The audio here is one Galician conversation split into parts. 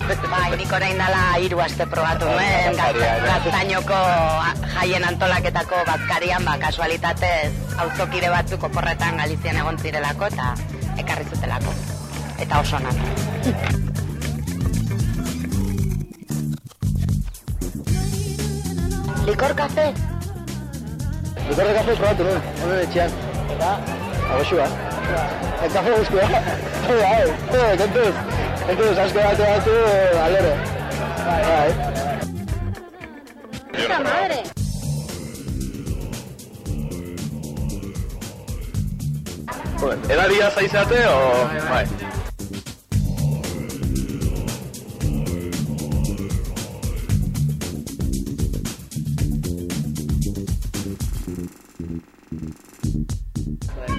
Bai, nik orain dela 3 aste probatu nuen, Gaztainoko jaien antolaketako bazkarian, kasualitatez, auzokide batzuk oporretan Galizian egon zirelako, eta ekarri zutelako. Eta oso onak. Likor kafe? Likor de kafe probatu nuen, honen etxean. Eta? Agoxua. El kafe guztua. Kontuz, asko batu, alero. Bai. ¡Puta madre! Edaria zaizate, o... Bai.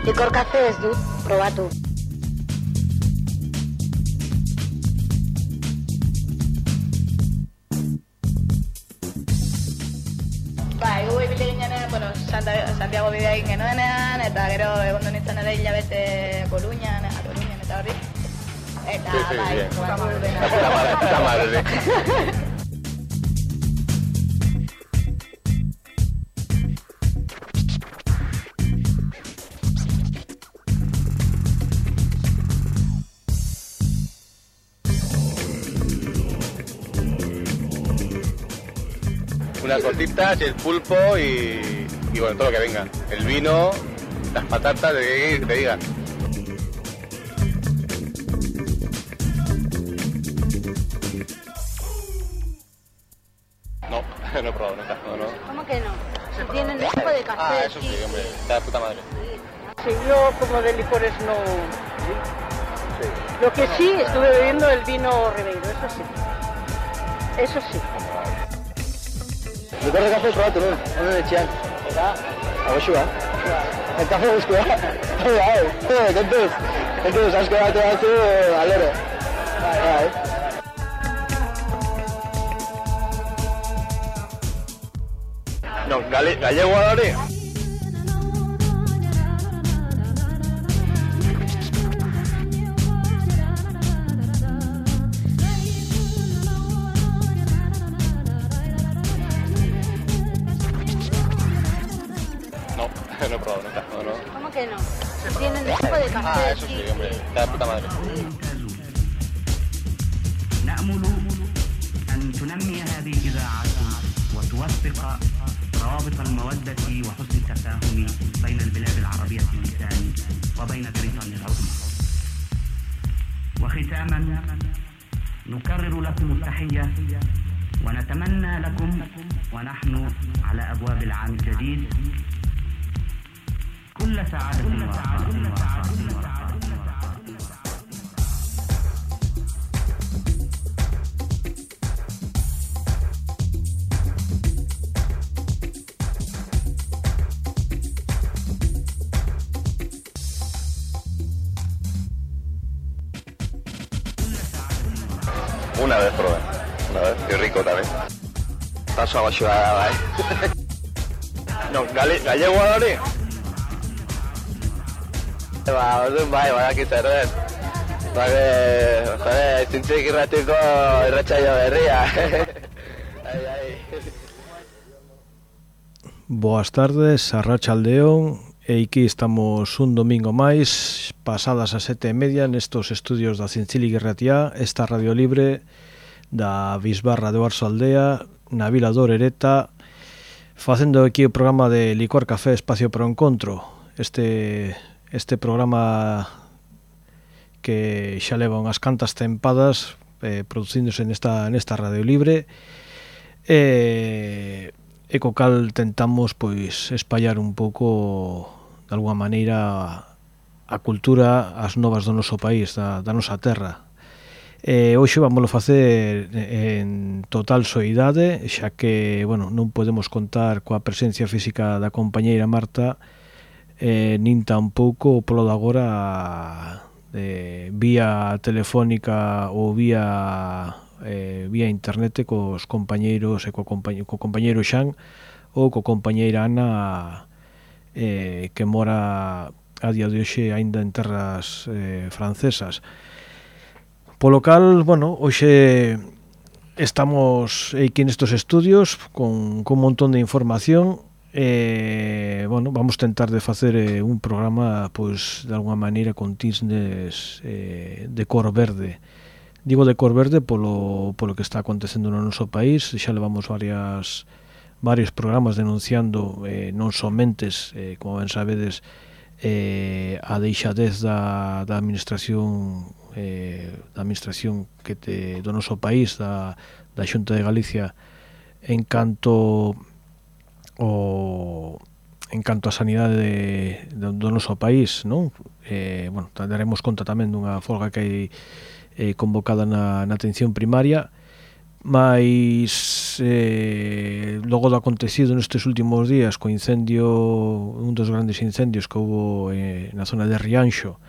Likor kafe ez dut probatu. Bai, gu ibili ginean, Santiago bidea egin genuenean, eta gero egon nintzen ere hilabete Coruñan eta horri. Eta, bai, Puta madre. Unas tortitas, el pulpo y bueno, todo lo que venga. El vino, las patatas, de que te digan. No, no he probado nunca, no. ¿Cómo que no? Si tienen un tipo de café. Eso sí, hombre, está de puta madre. Sí, yo como de licores no... Sí. Lo que sí, estuve bebiendo el vino Ribeiro, eso sí. Likor de kafe probatu nuen, honen etxean. Eta? Agoxua. El kafe guztua. Bai. Kontuz, asko batu, alero. Bai. No, gallego hori? No he probado nunca, no. ¿Cómo que no? Si tienen un tipo de café. Eso sí, hombre, está de puta madre. نأمل أن تنمي هذه الإذاعات وتوثق روابط المودة وحسن التفاهم بين البلاد العربية اللسان وبين بريطانيا العظمى. وختاما نكرر لكم التحية ونتمنى لكم ونحن على أبواب العام الجديد كل سعادة ورخاء. Una vez probé, y rico también. Paso a Agoxua, bai. No, gallego hori? Orduan bai, badaki zer den. Zintzik irratiko irratsaio berria. Boas tardes, arratsaldeon. Aquí estamos un domingo máis, pasadas as 7:30 nestos estudios da Zintzili Irratia, esta radio libre da Bisbarra de Oarsoaldea, na Vila do Orereta, facendo aquí o programa de Licor Café Espacio para o Encontro. Este programa que xa leva unhas cantas tempadas producíndose nesta radio libre, e co cal tentamos pois espallar un pouco de alguma maneira a cultura, as novas do noso país, da nosa terra. Hoxe vamos facer en total soidade, xa que, bueno, non podemos contar coa presencia física da compañeira Marta, nin tampouco polo de agora vía telefónica ou vía internet cos compañeiros e co compañeiro Xan ou co compañeira Ana, que mora a día de hoxe aínda en terras francesas. Polo cal, bueno, hoxe estamos aquí nestos estudios con un montón de información. Bueno, vamos tentar de facer un programa, pois, de alguna maneira con tisnes de cor verde. Digo de cor verde polo que está acontecendo no noso país. Xa levamos varios programas denunciando non somentes, como ben sabedes, a deixadez da administración do noso país, da Xunta de Galicia, en canto a sanidade do noso país, non? Bueno, daremos conta tamén dunha folga que hai convocada na atención primaria, mas logo do acontecido nestes últimos días co incendio, un dos grandes incendios que houve na zona de Rianxo,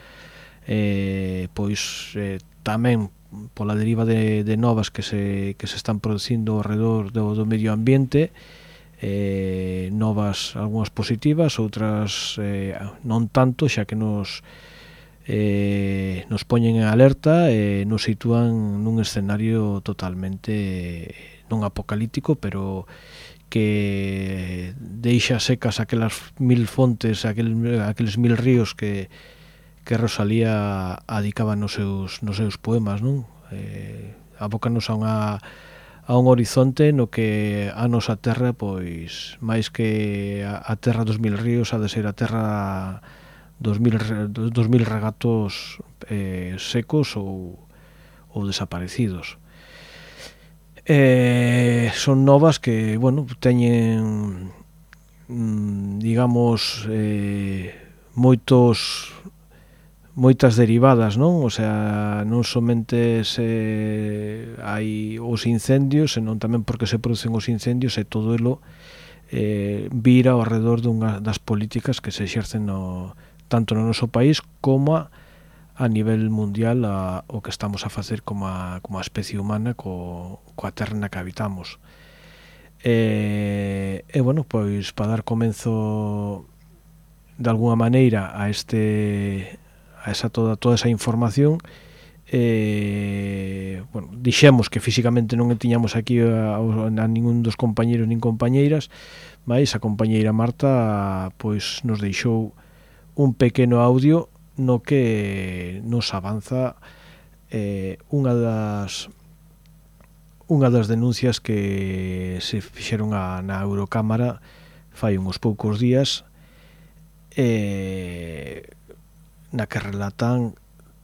pois tamén pola deriva de novas que se están producindo ao redor do medio ambiente, novas algunhas positivas, outras non tanto, xa que nos poñen en alerta e nos sitúan nun escenario totalmente non apocalíptico, pero que deixa secas aquelas 1000 fontes, aqueles 1000 ríos que Rosalía adicaba nos seus poemas, non? Abócanos a un horizonte no que a nosa terra, pois, máis que a terra dos 1000 ríos, ha de ser a terra dos mil regatos secos ou desaparecidos. Son novas que, bueno, teñen, digamos, moitas derivadas, non? O sea, non somente hai os incendios, senón tamén porque se producen os incendios e todo elo vira ao redor das políticas que se exercen tanto no noso país como a nivel mundial o que estamos a facer como a especie humana coa terra na que habitamos. E bueno, pois para dar comenzo de alguna maneira a toda esa información, bueno, dixemos que físicamente non tiñamos aquí a ningún dos compañeros nin compañeiras, mas a compañeira Marta pois nos deixou un pequeno audio no que nos avanza unha das denuncias que se fixeron na Eurocámara fai uns poucos días, na que relatan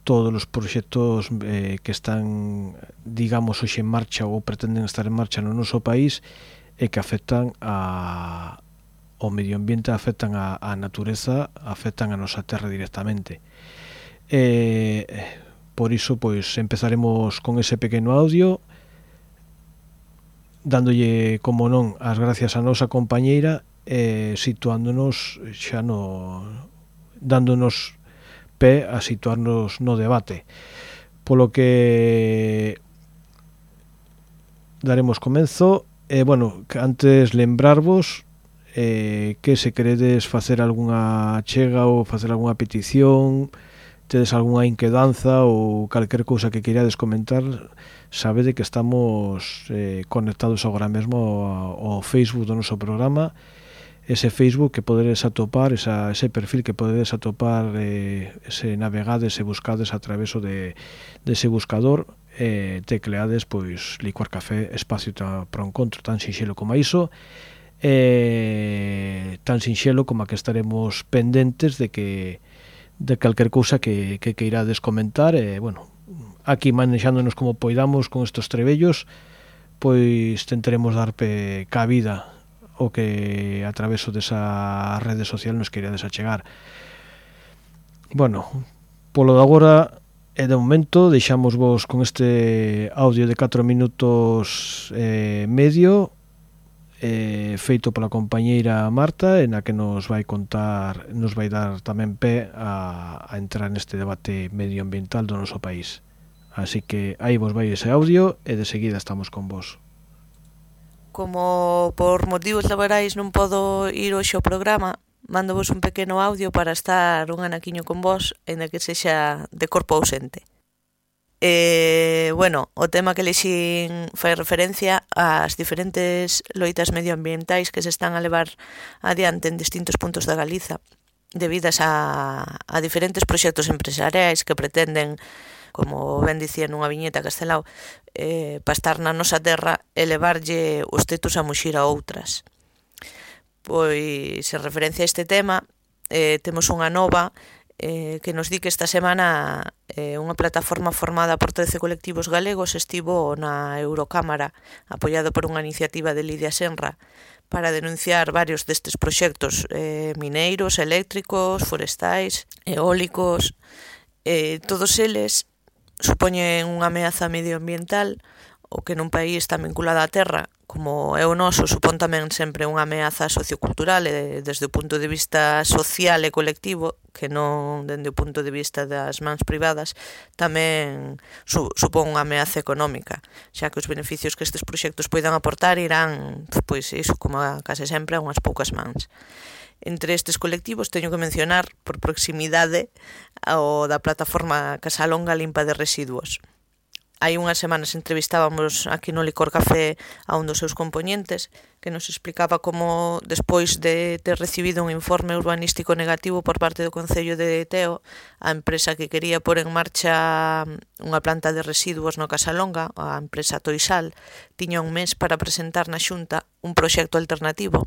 todos os proxectos que están, digamos, hoxe en marcha ou pretenden estar en marcha no noso país e que afectan ao medio ambiente, afectan a natureza, afectan a nosa terra directamente. Por iso, pois, empezaremos con ese pequeno audio, dándolle, como non, as gracias a nosa compañeira, situándonos xa dándonos pé a situarnos no debate. Polo que daremos comenzo. Bueno, antes lembrarvos que se queredes facer algunha chega ou facer algunha petición, tedes algunha inquedanza ou calquer cousa que queirades comentar, sabede que estamos conectados agora mesmo ao Facebook do noso programa, ese Facebook que podedes atopar, ese perfil que podedes atopar, se navegades e buscades a través dese buscador, tecleades, pois, Licor Café, espacio para o encontro, tan sinxelo como iso, tan sinxelo como a que estaremos pendentes de calquer cousa que queirades comentar. Bueno, aquí manexándonos como poidamos con estos trebellos, pois tentaremos dar cabida o que a través desa rede social nos queirades achegar. Bueno, polo de agora e de momento deixamos vos con este audio de 4 minutos medio, feito pola compañeira Marta, en a que nos vai dar tamén pé a entrar neste debate medioambiental do noso país. Así que aí vos vai ese audio e de seguida estamos con vos. Como por motivos laborais non podo ir hoxe ao programa, mando vos un pequeno audio para estar un anaquiño con vos, en que sexa de corpo ausente. Bueno, o tema que lexín fai referencia ás diferentes loitas medioambientais que se están a levar adiante en distintos puntos da Galiza debidas a diferentes proxectos empresariais que pretenden, como ben dicía nunha viñeta Castelao, pastar na nosa terra e levarlle os tetos a muxir a outras. Pois, en referencia a este tema, temos unha nova que nos di que esta semana unha plataforma formada por 13 colectivos galegos estivo na Eurocámara, apoiado por unha iniciativa de Lidia Senra, para denunciar varios destes proxectos mineiros, eléctricos, forestais, eólicos. Todos eles supoñen unha ameaza medioambiental, o que nun país tan vinculado á terra como é o noso supón tamén sempre unha ameaza sociocultural desde o punto de vista social e colectivo, que non dende o punto de vista das mans privadas, tamén supón unha ameaza económica, xa que os beneficios que estes proxectos poidan aportar irán, pois iso, como case sempre, a unhas poucas mans. Entre estes colectivos teño que mencionar por proximidade o da plataforma Casalonga Limpa de Residuos. Hai unhas semanas entrevistábamos aquí no Licor Café a un dos seus componentes que nos explicaba como, despois de ter recibido un informe urbanístico negativo por parte do Concello de Teo, a empresa que quería pôr en marcha unha planta de residuos no Casalonga, a empresa Toisal, tiña un mes para presentar na Xunta un proxecto alternativo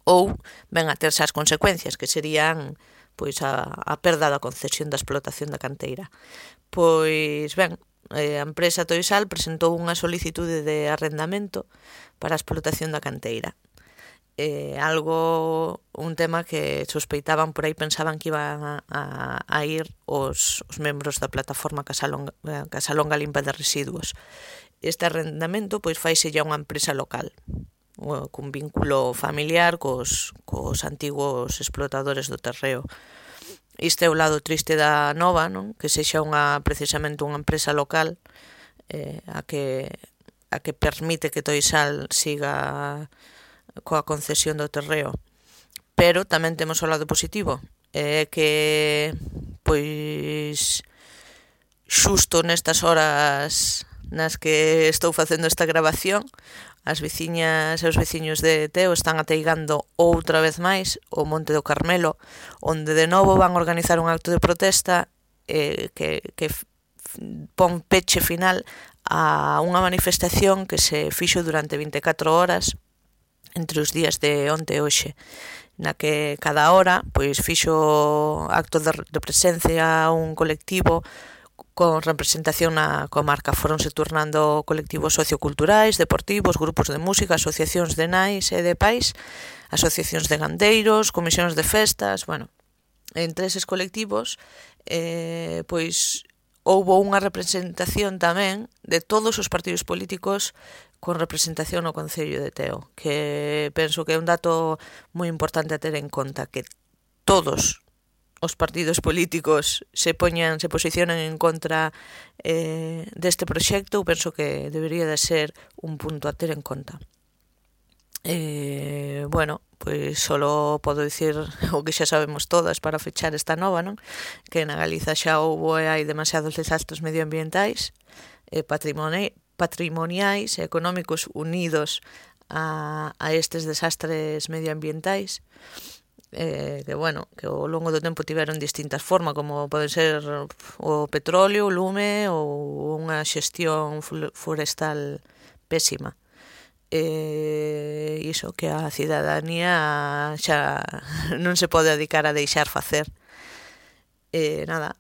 ou ben a terse as consecuencias, que serían pois a perda da concesión da explotación da canteira. Pois ben, a empresa Toisal presentou unha solicitude de arrendamento para a explotación da canteira. Un tema que sospeitaban por aí, pensaban que iban a ir os membros da plataforma Casalonga Limpa de Residuos. Este arrendamento pois faise ya unha empresa local, cun vínculo familiar cos antigos explotadores do terreo. Isto é o lado triste da nova, non? Que sexa precisamente unha empresa local a que permite que Toisal siga coa concesión do terreo. Pero tamén temos o lado positivo, que pois xusto nestas horas nas que estou facendo esta grabación, as veciñas e os veciños de Teo están ateigando outra vez máis o Monte do Carmelo, onde de novo van organizar un acto de protesta que pon peche final a unha manifestación que se fixo durante 24 horas entre os días de onte e hoxe, na que cada hora pois fixo acto de presencia a un colectivo con representación na comarca. Foronse turnando colectivos socioculturais, deportivos, grupos de música, asociacións de nais e de pais, asociacións de gandeiros, comisións de festas. Bueno, entre eses colectivos pois houbo unha representación tamén de todos os partidos políticos con representación no Concello de Teo, que penso que é un dato moi importante a ter en conta, que todos os partidos políticos se posicionan en contra deste proxecto. Penso que debería de ser un punto a ter en conta. Bueno, pois solo podo dicir o que xa sabemos todas para fechar esta nova, non? Que na Galiza xa houbo e hai demasiados desastres medioambientais, patrimoniais e económicos unidos a estes desastres medioambientais, que ao longo do tempo tiveron distintas formas, como poden ser o petróleo, o lume ou unha xestión forestal pésima. Iso que a cidadanía xa non se pode dedicar a deixar facer.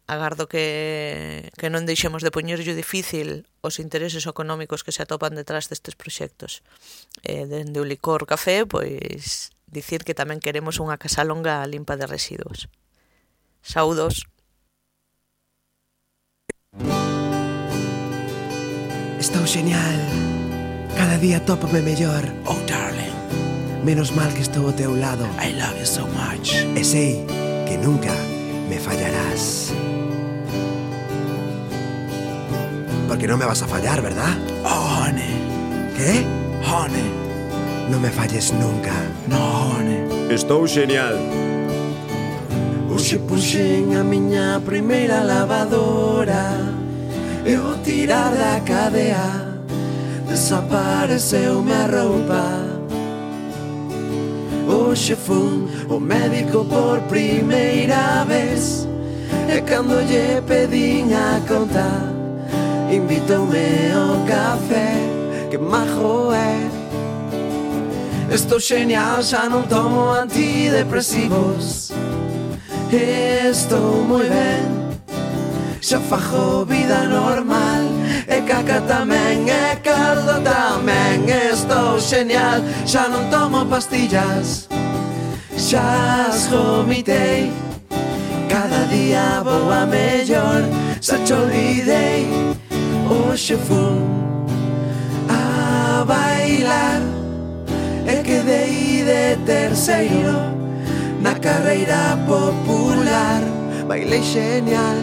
Agardo que non deixemos de poñerlle difícil os intereses económicos que se atopan detrás destes proxectos. Dende o Licor Café, pois dicir que tamén queremos unha Casalonga limpa de residuos. Saúdos. Estou genial. Cada día tópame mellor. Oh, darling. Menos mal que estou ao teu lado. I love you so much. E sei que nunca me fallarás. Porque non me vas a fallar, ¿verdad? Oh, honey. ¿Qué? Honey. Non me falles nunca. No, honey. Estou genial. Hoxe puxen a miña primeira lavadora E ao tirar da cadea desapareceu a roupa. Hoxe fun o médico por primeira vez, e cando lle pedín a conta invitoume ao café. Que majo é. Estou genial, xa non tomo antidepresivos. Estou moi ben, xa fago vida normal. E caca tamén, e caldo tamén. Estou genial, xa non tomo pastillas. Xa as vomitei, cada día vou a mellor. Xa te olvidei, hoxe fun a bailar e quedei de terceiro na carreira popular. Bailei genial,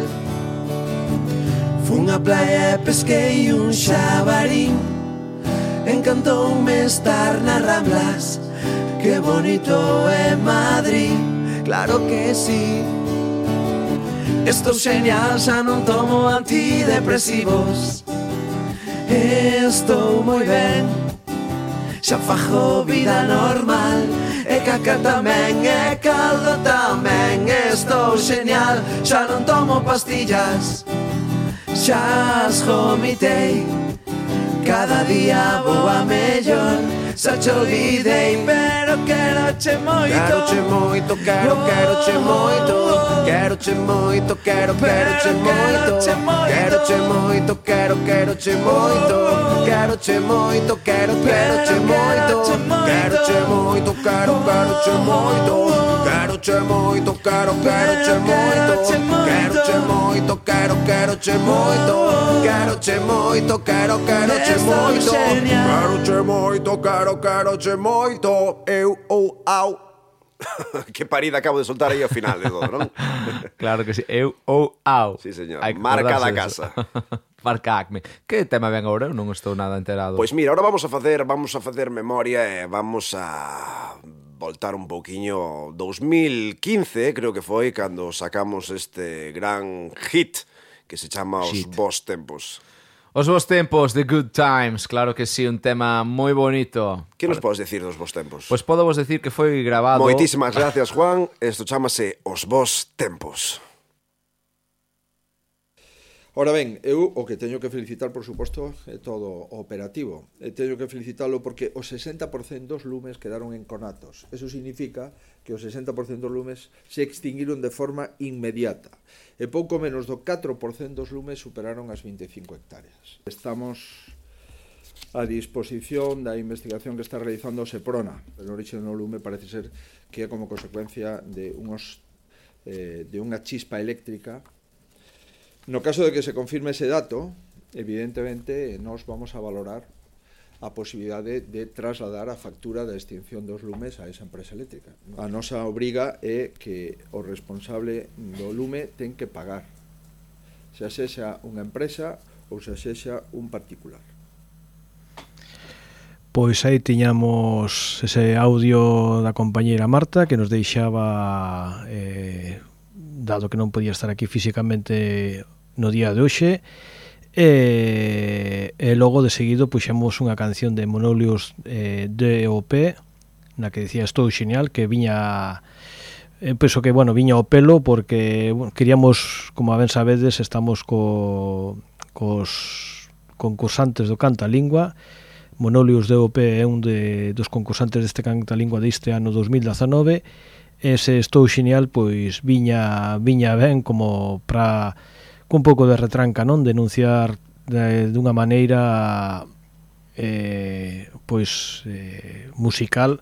fun a praia e pesquei un xabarín. Encantoume estar nas Ramblas, que bonito é Madrid. Claro que sí. Estou genial, xa non tomo antidepresivos. Estou moi ben, xa fago vida normal. E caca tamén, e caldo tamén. Estou genial, xa non tomo pastillas. Xa as vomitei, cada día vou a mellor. Xa te olvidei, pero quero-che moito. Quero-che moito, quero-che moito. Quero-che moito, quero-che moito. Quero-che moito, quero-che moito. Quero-che moito, quero-che moito. Quero-che moito, quero-che moito. Quero-che moito, quero-che moito. Quero-che moito, quero-che moito. Quero-che moito, quero-che moito. Quero-che moito, quero-che moito. Eu ou au. Que parida acabo de soltar aí ao final de todo, non? Claro que sí, eu ou au. Sí, señor, marca da casa. Marca Acme. Que tema ven agora? Eu non estou nada enterado. Pois mira, ahora vamos a facer memoria e vamos a voltar un pouquiño 2015, creo que foi cando sacamos este gran hit que se chama Os Bos Tempos. Os Bos Tempos, The Good Times, claro que sí, un tema moi bonito. Que nos podes decir dos Bos Tempos? Pois podo vos decir que foi grabado... Moitísimas gracias, Juan. Isto chamase Os Bos Tempos. Ora ben, eu o que teño que felicitar, por suposto, é todo o operativo. E teño que felicitalo porque os 60% dos lumes quedaron enconatos. Eso significa que os 60% dos lumes se extinguiron de forma inmediata. E pouco menos do 4% dos lumes superaron as 25 hectáreas. Estamos a disposición da investigación que está realizando o Seprona. El orixe do lume parece ser que é como consecuencia de unha chispa eléctrica. No caso de que se confirme ese dato, evidentemente nos vamos a valorar a posibilidade de trasladar a factura da extinción dos lumes a esa empresa eléctrica. A nosa obriga é que o responsable do lume ten que pagar, xa sexa unha empresa ou xa sexa un particular. Pois aí tiñamos ese audio da compañeira Marta que nos deixaba, dado que non podía estar aquí físicamente no día de hoxe, e logo de seguido puxemos unha canción de Monolius DOP na que decía Estou Xenial, que viña penso que, bueno, viña ao pelo porque queríamos, como a ben sabedes, estamos cos concursantes do Cantalingua. Monolius DOP é un dos concursantes deste Cantalingua deste ano 2019. Ese Estou Xenial pois viña ben como para un pouco de retranca, non? Denunciar dunha maneira musical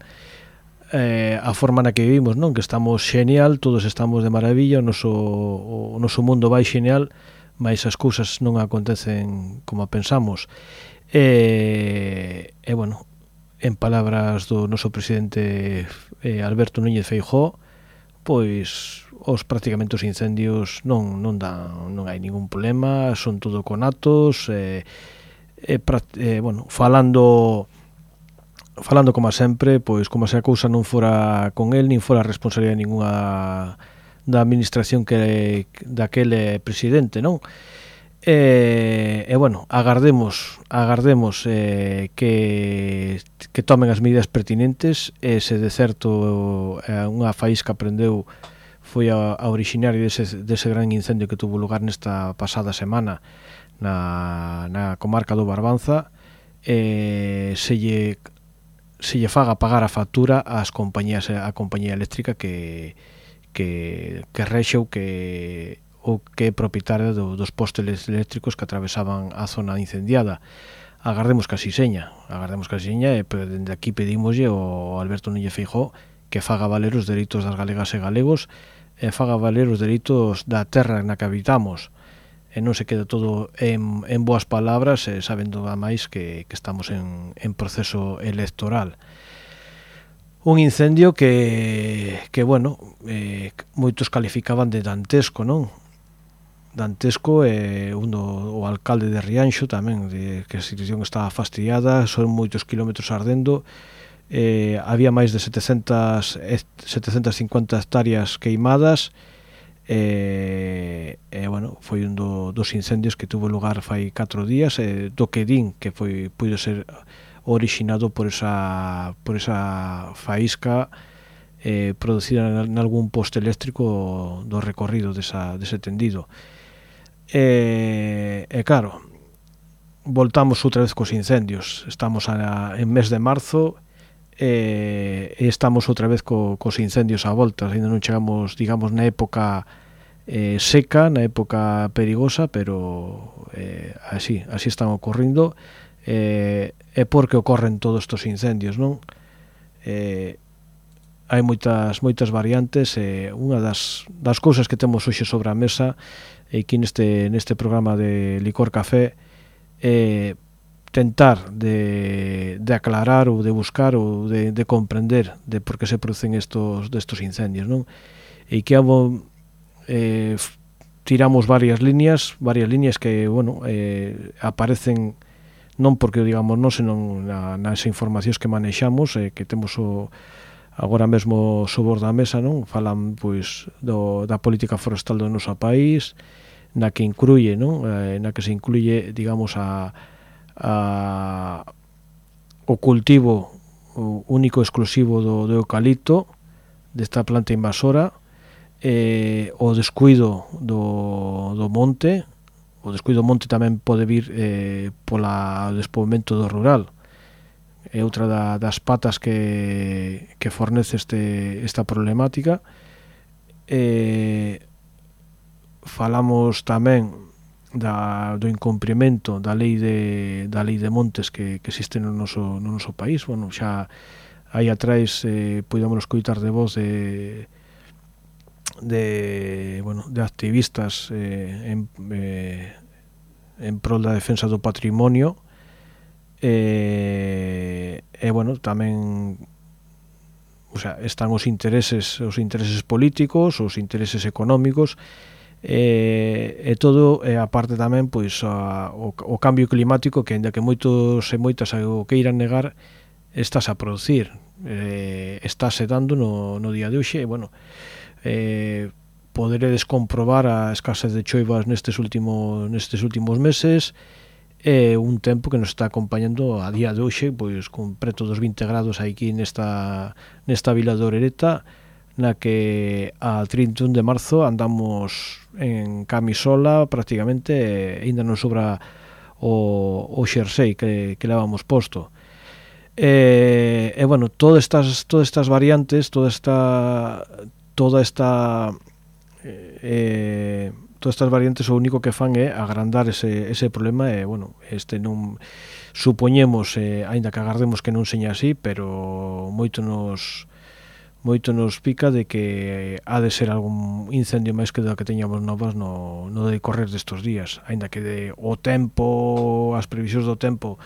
a forma na que vivimos, non? Que estamos xenial, todos estamos de maravilla, o noso mundo vai xenial, mas as cousas non acontecen como pensamos. Bueno, en palabras do noso presidente Alberto Núñez Feijóo, pois prácticamente os incendios non hai ningún problema, son todo conatos, bueno, falando como sempre, pois como se a cousa non fora con el, nin fora responsabilidade ninguna da administración que daquele presidente, non? E bueno, agardemos que tomen as medidas pertinentes. Se de certo unha faísca prendeu foi a originaria dese gran incendio que tuvo lugar nesta pasada semana na comarca do Barbanza, se lle faga pagar a factura a compañía eléctrica que rexeu que é propietaria dos postes eléctricos que atravesaban a zona incendiada. Agardemos que así seña, e dende aquí pedimoslle ao Alberto Núñez Feijóo que faga valer os dereitos das galegas e galegos, e faga valer os dereitos da terra na que habitamos, e non se queda todo en boas palabras, sabendo a máis que estamos en proceso electoral. Un incendio que bueno, moitos calificaban de dantesco, non? Dantesco, o alcalde de Rianxo tamén, que a situación estaba fastidiada, son moitos kilómetros ardendo, había máis de 750 hectáreas queimadas, bueno, foi un dos incendios que tuvo lugar fai 4 días, do que din que puido ser originado por esa faísca producida en algún poste eléctrico do recorrido dese tendido. Claro, voltamos outra vez cos incendios. Estamos en mes de marzo e estamos outra vez cos incendios a volta. Ainda non chegamos, digamos, na época seca, na época perigosa, pero así están ocorrindo. É porque ocorren todos estos incendios, non? Hai moitas variantes. Unha das cousas que temos hoxe sobre a mesa aquí neste programa de Licor Café é tentar de aclarar ou de buscar ou de comprender de por que se producen destos incendios, non? E que tiramos varias líneas que, bueno, aparecen non porque o digamos non, senón nas informacións que manexamos, que temos agora mesmo sobre da mesa, non? Falan pois da política forestal do noso país, na que incluye, non? Na que se incluye, digamos, o cultivo único exclusivo do eucalipto, desta planta invasora, o descuido do monte. O descuido do monte tamén pode vir polo despoboamento do rural. É outra das patas que fornece esta problemática. Falamos tamén do incumprimento da lei de montes que existe no noso país. Bueno, xa aí atrás podíamos escoitar de voz de activistas en prol da defensa do patrimonio, bueno, tamén, o sea, están os intereses políticos, os intereses económicos, e todo, aparte tamén, pois o cambio climático, que aínda que moitos e moitas o queiran negar, estás a producir, estáse dando no día de hoxe. E bueno, poderedes comprobar a escasez de choivas nestes últimos meses, un tempo que nos está acompañando a día de hoxe, pois con preto dos 20 grados aquí nesta vila de Orereta, na que a 31 de marzo andamos en camisola prácticamente, ainda non sobra o xersei que levamos posto. Bueno, todas estas variantes, todas estas variantes o único que fan é agrandar ese problema. E bueno, non supoñemos, aínda que agardemos que non seña así, pero moito nos pica de que ha de ser algún incendio máis que do que teñamos novas no decorrer destos días, aínda que o tempo, as previsións do tempo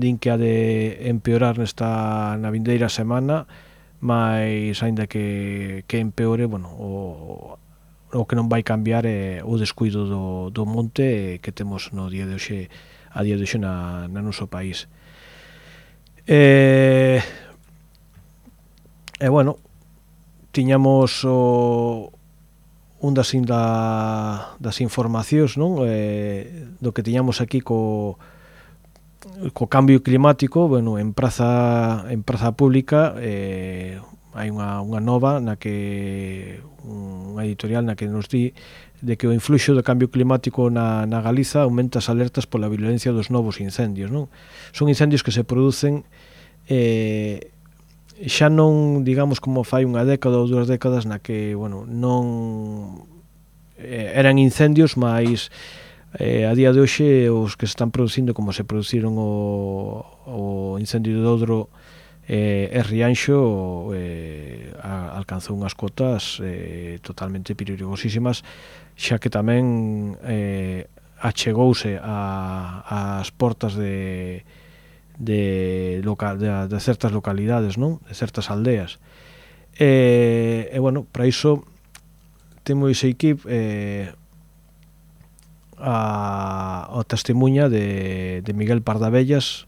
din que ha de empeorar na vindeira semana, mas aínda que empeore, bueno, o que non vai cambiar é o descuido do monte que temos a día de hoxe na noso país. Bueno, tiñamos o un das informacións, non? Do que tiñamos aquí co cambio climático, bueno, en praza pública hai unha nova na que unha editorial na que nos di de que o influxo do cambio climático na Galiza aumenta as alertas pola violencia dos novos incendios, non? Son incendios que se producen xa non, digamos, como fai unha década ou 2 décadas na que, bueno, non eran incendios, mas a día de hoxe os que se están producindo como se produciron o incendio de Odro e Rianxo alcanzou unhas cotas totalmente perigosísimas, xa que tamén achegouse ás portas de certas localidades, non? De certas aldeas. Bueno, para iso temos aquí o testemunha de Miguel Pardavellas,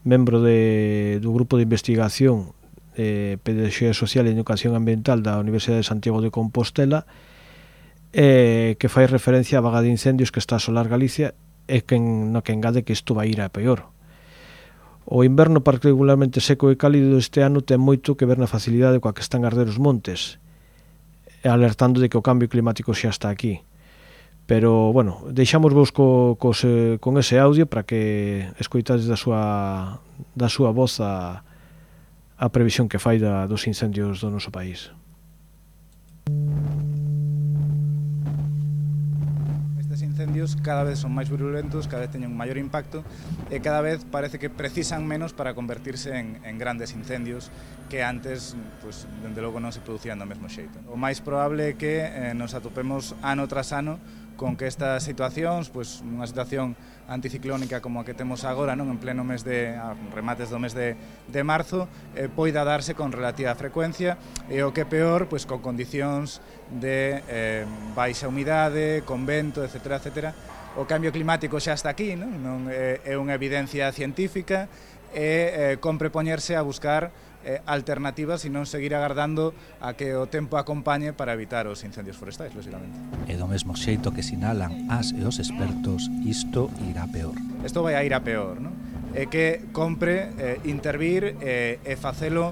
membro do grupo de investigación de Pedagogía Social e Educación Ambiental da Universidade de Santiago de Compostela, que fai referencia á vaga de incendios que está a asolar Galicia e no que engade que isto vai ir a peor. O inverno particularmente seco e cálido este ano ten moito que ver na facilidade coa que están a arder os montes, alertando de que o cambio climático xa está aquí. Pero, bueno, deixamos vos con ese audio para que escoitades da súa voz a previsión que fai dos incendios do noso país. Incendios cada vez son máis virulentos, cada vez teñen un maior impacto e cada vez parece que precisan menos para convertirse en grandes incendios que antes, pues, dende logo non se producían do mesmo xeito. O máis probable é que nos atopemos ano tras ano con que estas situacións, pues, unha situación anticiclónica como a que temos agora, non, en pleno mes remates do mes de marzo, poida darse con relativa frecuencia e o que peor, pues, con condicións de baixa humidade, con vento, etcétera, etcétera. O cambio climático xa está aquí, non é unha evidencia científica e compre poñerse a buscar alternativas e non seguir agardando a que o tempo acompañe para evitar os incendios forestais, lógicamente. E do mesmo xeito que sinalan as e os expertos, isto irá peor. Isto vai a ir a peor, non? É que compre intervir e facelo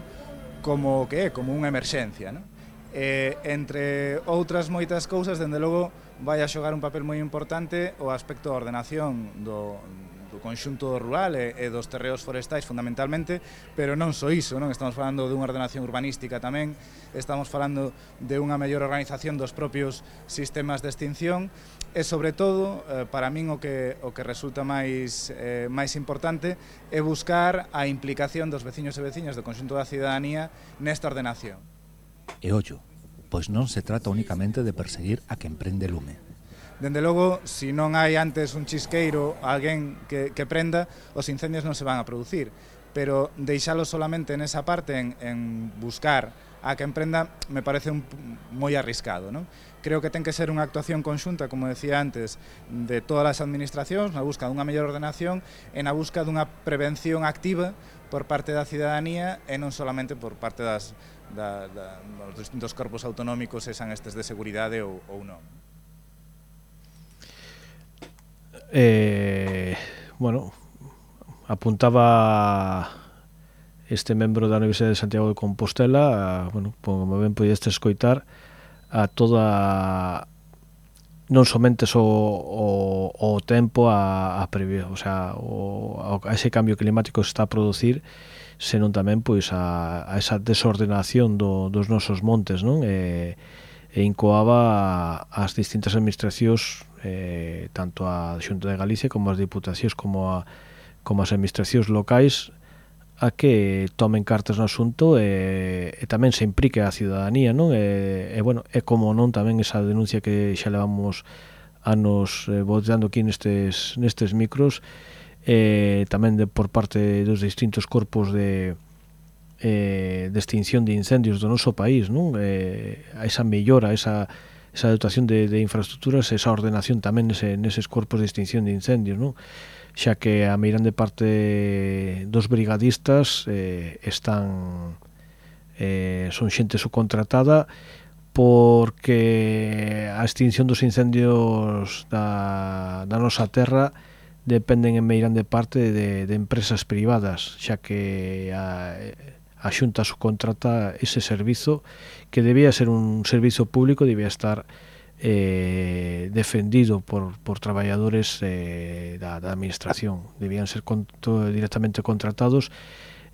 como que é, como unha emerxencia, non? Entre outras moitas cousas, dende logo, vai a xogar un papel moi importante o aspecto da ordenación do conxunto rural e dos terreos forestais fundamentalmente, pero non só iso, non? Estamos falando dunha ordenación urbanística tamén, estamos falando de unha mellor organización dos propios sistemas de extinción e, sobre todo, para min o que resulta máis importante é buscar a implicación dos veciños e veciñas do conxunto da cidadanía nesta ordenación. E ollo, pois non se trata únicamente de perseguir a quen prende lume. Dende logo, se non hai antes un chisqueiro, alguén que prenda, os incendios non se van a producir. Pero deixalo solamente nesa parte, en buscar a quen prenda, me parece moi arriscado, non? Creo que ten que ser unha actuación conxunta, como decía antes, de todas as administracións, na busca dunha mellor ordenación e na busca dunha prevención activa por parte da cidadanía e non solamente por parte dos distintos corpos autonómicos, sean estes de seguridade ou non. Bueno, apuntaba este membro da Universidade de Santiago de Compostela, bueno, como ben podeste escoitar, a toda, non somente o tempo a prever, o sea, a ese cambio climático que se está a producir, senón tamén pois a esa desordenación dos nosos montes, non? E incoaba as distintas administracións, tanto a Xunta de Galicia como as diputacións como as administracións locais, a que tomen cartas no asunto e tamén se implique a cidadanía, non? E bueno, é como non tamén esa denuncia que xa levamos anos votando aquí nestes micros, tamén por parte dos distintos corpos de extinción de incendios do noso país, non? Esa mellora, esa dotación de infraestructuras, esa ordenación tamén neses corpos de extinción de incendios, non? Xa que a meirande parte dos brigadistas son xente subcontratada porque a extinción dos incendios da nosa terra dependen en meirande parte de empresas privadas, xa que a Xunta subcontrata ese servizo que debía ser un servizo público, debía estar defendido por traballadores da administración, debían ser directamente contratados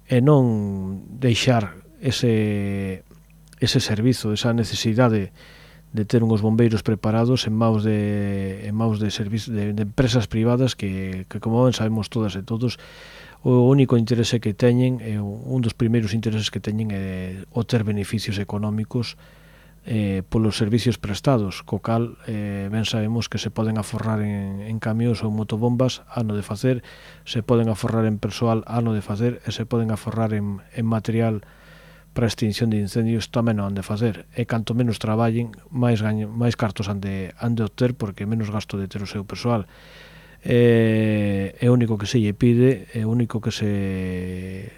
e non deixar ese servizo, esa necesidade de ter unhos bombeiros preparados en maus de empresas privadas que como ben sabemos todas e todos, o único interese que teñen, un dos primeiros intereses que teñen é o ter beneficios económicos polos servicios prestados, co cal ben sabemos que se poden aforrar en camións ou motobombas, ano de facer, se poden aforrar en persoal, ano de facer, e se poden aforrar en material para a extinción de incendios, tamén non han de facer. E canto menos traballen, máis cartos han de obter, porque menos gasto de ter o seu persoal. É o único que se lle pide, é o único que se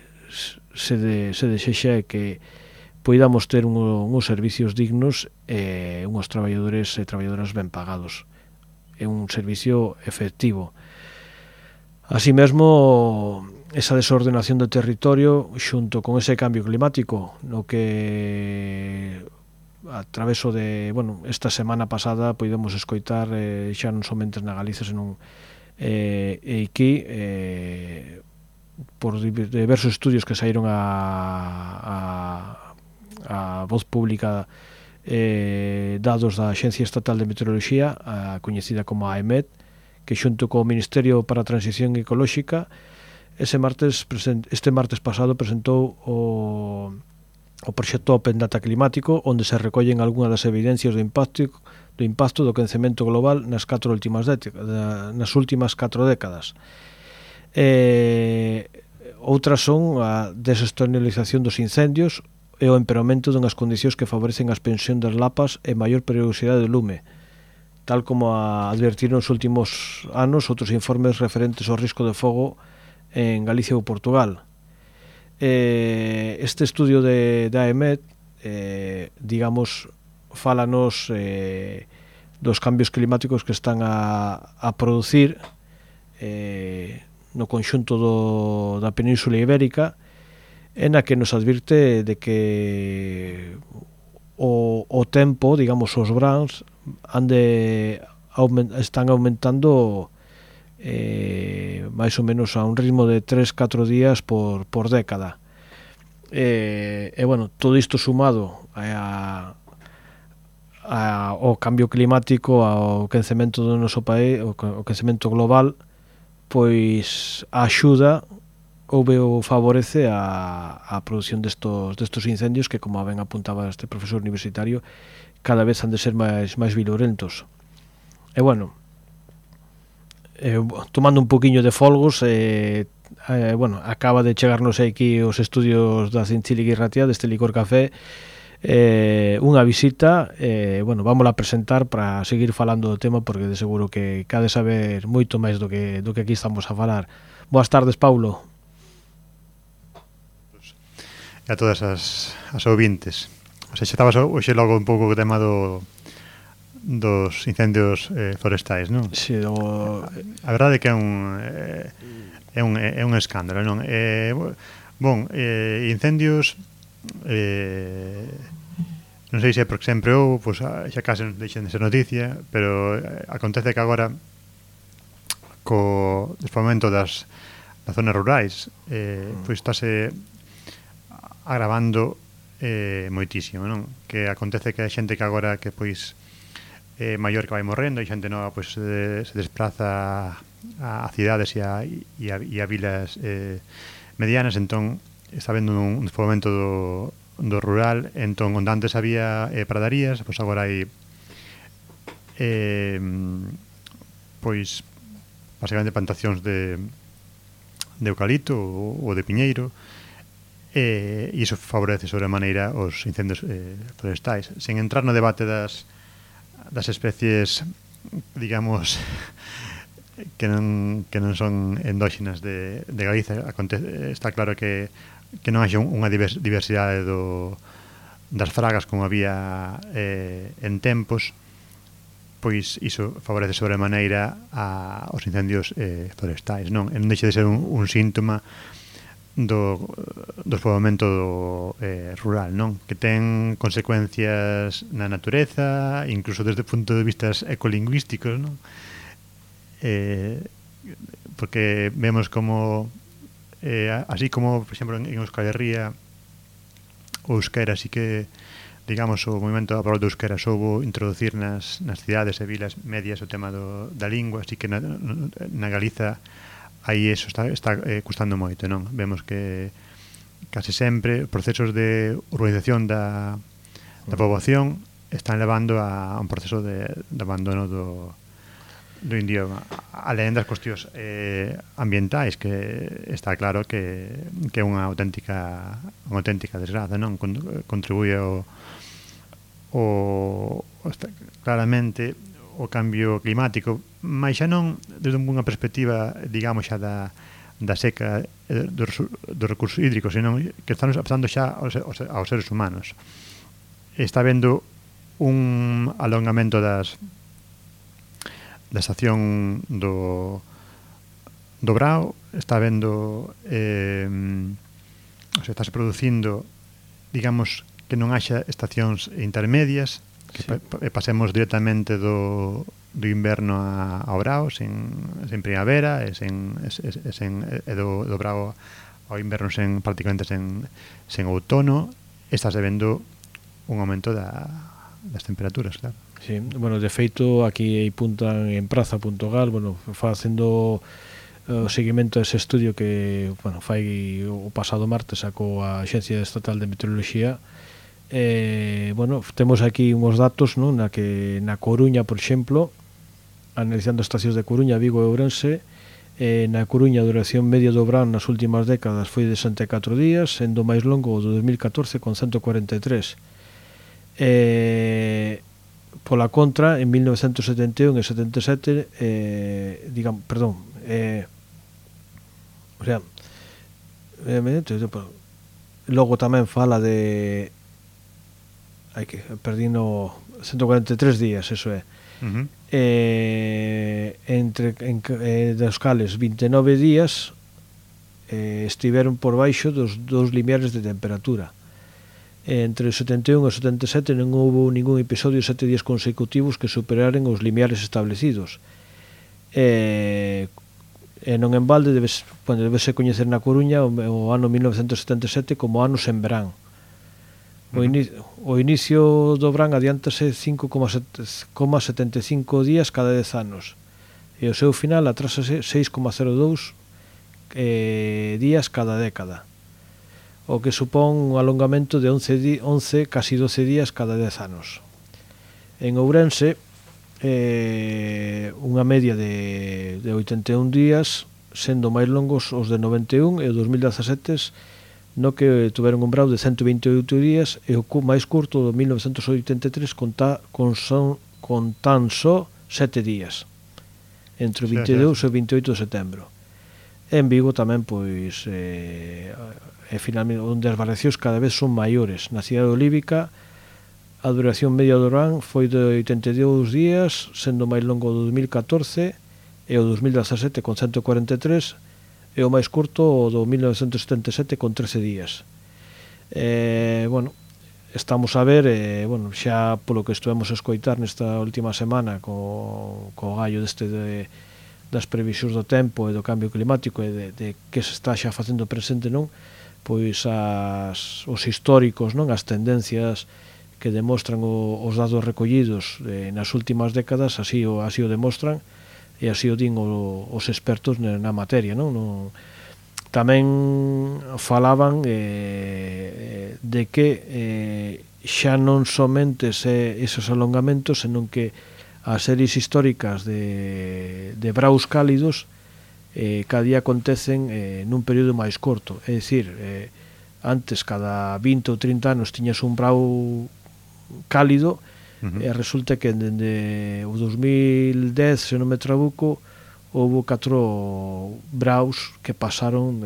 desexa é que poidamos ter uns servicios dignos e uns traballadores e traballadoras ben pagados. É un servicio efectivo. Así mesmo, esa desordenación do territorio xunto con ese cambio climático, no que a traveso de, esta semana pasada poidemos escoitar xa non somente na Galicia, senón aquí por diversos estudios que saíron a voz pública, dados da Axencia Estatal de Meteoroloxía, coñecida como AEMET, que xunto co Ministerio para a Transición Ecolóxica este martes pasado presentou o proxecto Open Data Climático, onde se recollen algunhas das evidencias do impacto do quencemento global nas últimas 4 décadas. Outras son a desestacionalización dos incendios e o empeoramento dunhas condicións que favorecen a expansión das lapas e maior periodicidade do lume, tal como advertiron nos últimos anos outros informes referentes ao risco de fogo en Galicia ou Portugal. Este estudio de AEMET, fálanos dos cambios climáticos que están a producir no conxunto da Península Ibérica, en a que nos advirte de que o tempo, os brans, están aumentando máis ou menos a un ritmo de 3-4 días por década. Todo isto sumado ao cambio climático, ao quencemento do noso país, o quencemento global, pois axuda ou favorece a produción destos incendios que, como ben apuntaba este profesor universitario, cada vez han de ser máis virulentos. Tomando un poquinho de folgos, acaba de chegarnos aquí os estudios da Zincíliga Irratia, deste licor café, unha visita, vamos a presentar para seguir falando do tema, porque de seguro que cade saber moito máis do que aquí estamos a falar. Boas tardes, Paulo. E a todas as ouvintes. Xa estabas hoxe logo un pouco o tema dos incendios forestais, non? Si, a verdade é que é un escándalo, non? Incendios non sei se é porque sempre xa case non deixen de ser noticia, pero acontece que agora co despobamento das zonas rurais pois estáse agravando moitísimo, non? Que acontece que a xente que agora que pois maior que vai morrendo, e xente nova pois se desplaza a cidades e a vilas medianas, entón está habendo un despobamento do rural, entón onde antes había pradarías, pois agora hai pois basicamente plantacións de eucalipto ou de piñeiro, e iso favorece sobremaneira os incendios forestais, sen entrar no debate das especies, digamos, que non son endóxenas de Galicia. Está claro que non hai unha diversidade do das fragas como había en tempos, pois iso favorece sobremaneira aos incendios forestais, non? E non deixa de ser un síntoma do despoboamento rural, non? Que ten consecuencias na natureza, incluso desde o punto de vista ecolingüísticos, non? Porque vemos como así como, por exemplo, en Euskal Herria o euskera así que, digamos, o movimento a favor do euskera soubo introducir nas cidades e vilas medias o tema da lingua, así que na Galiza aí eso está custando moito, non? Vemos que case sempre procesos de urbanización da poboación están levando a un proceso de abandono do idioma, alén das cuestións ambientais, que está claro que é unha auténtica desgraza, non? Contribúe claramente o cambio climático, mas xa non desde unha perspectiva, digamos, xa da seca dos recursos hídricos, senón que están pasando xa aos seres humanos. Está vendo un alongamento da estación do Brao, está vendo estáse producindo, digamos, que non haxa estacións intermedias, que pasemos directamente do inverno ao Brao sen primavera e do Brao ao inverno prácticamente sen outono. Estás vendo un aumento das temperaturas, claro. Sí, bueno, de feito aquí apuntan en praza.gal, bueno, facendo o seguimento dese estudio que, bueno, fai o pasado martes sacou a Axencia Estatal de Meteoroloxía. Bueno, temos aquí uns datos, non? Na Coruña, por exemplo, analizando estacións de Coruña, Vigo e Ourense, na Coruña a duración media do verán nas últimas décadas foi de 64 días, sendo máis longo o do 2014 con 143. Pola contra, en 1971 e 77 logo tamén fala de perdino 143 días, eso é. Dos cales 29 días estiveron por baixo dos 2 limiares de temperatura. Entre o 71 e o 77 non houve ningún episodio de 7 días consecutivos que superaren os limiares establecidos. Non en balde debese coñecer na Coruña o ano 1977 como ano sen verán. O inicio do verán adiántase 5,75 días cada 10 anos e o seu final atrásase 6,02 días cada década, o que supón un alongamento de 11, casi 12 días cada 10 anos. En Ourense, unha media de 81 días, sendo máis longos os de 91 e o 2017, no que tuveron un brao de 128 días e o máis curto do 1983 con tan só 7 días, entre o 22 e o 28 de setembro. En Vigo tamén, pois, finalmente, onde as variacións cada vez son maiores. Na cidade olívica, a duración media do verán foi de 82 días, sendo máis longo do 2014 e o 2017 con 143, e o máis curto o do 1977 con 13 días. Bueno, estamos a ver, bueno, xa polo que estuvemos a escoitar nesta última semana co gallo das previsións do tempo e do cambio climático e de que se está xa facendo presente, non? Pois os históricos, non? As tendencias que demostran os dados recollidos nas últimas décadas así o demostran, e así o din os expertos na materia, non? Tamén falaban de que xa non somente esos alongamentos, senón que as series históricas de braus cálidos cada día acontecen nun período máis corto. É dicir, antes cada 20 ou 30 anos tiñas un brau cálido, e resulta que dende o 2010, se non me trabuco, houve 4 braus que pasaron,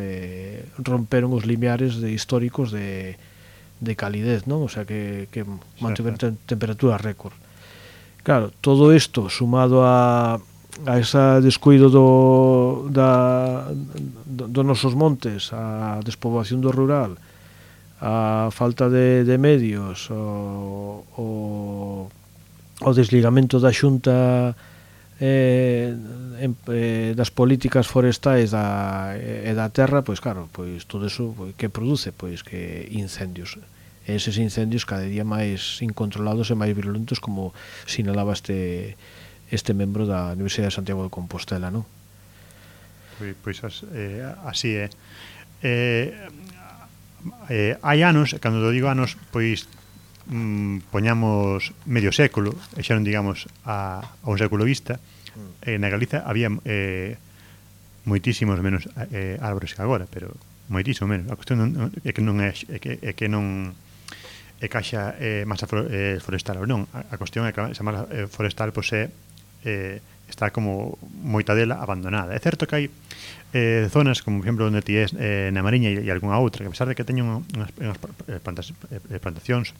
romperon os limiares históricos de calidez, non? O sea, que mantiveron temperaturas récord. Claro, todo isto sumado a ese descuido dos nosos montes, a despoboación do rural, a falta de medios, o desligamento da Xunta das políticas forestais e da terra, pois claro, pois todo eso que produce, pois que incendios. Eses incendios cada día máis incontrolados e máis virulentos, como sinalaba este membro da Universidade de Santiago de Compostela, non? Pois así é. Hai anos, cando digo anos, pois poñamos medio século, e xa non digamos a un século vista, na Galiza había moitísimos menos árbores que agora, pero moitísimo menos. A cuestión é que non é que non é caixa masa forestal ou non. A cuestión é que esa masa forestal pois está como moita dela abandonada. É certo que hai zonas, como por exemplo onde ti és na Mariña e algunha outra, que a pesar de que teñen unhas plantacións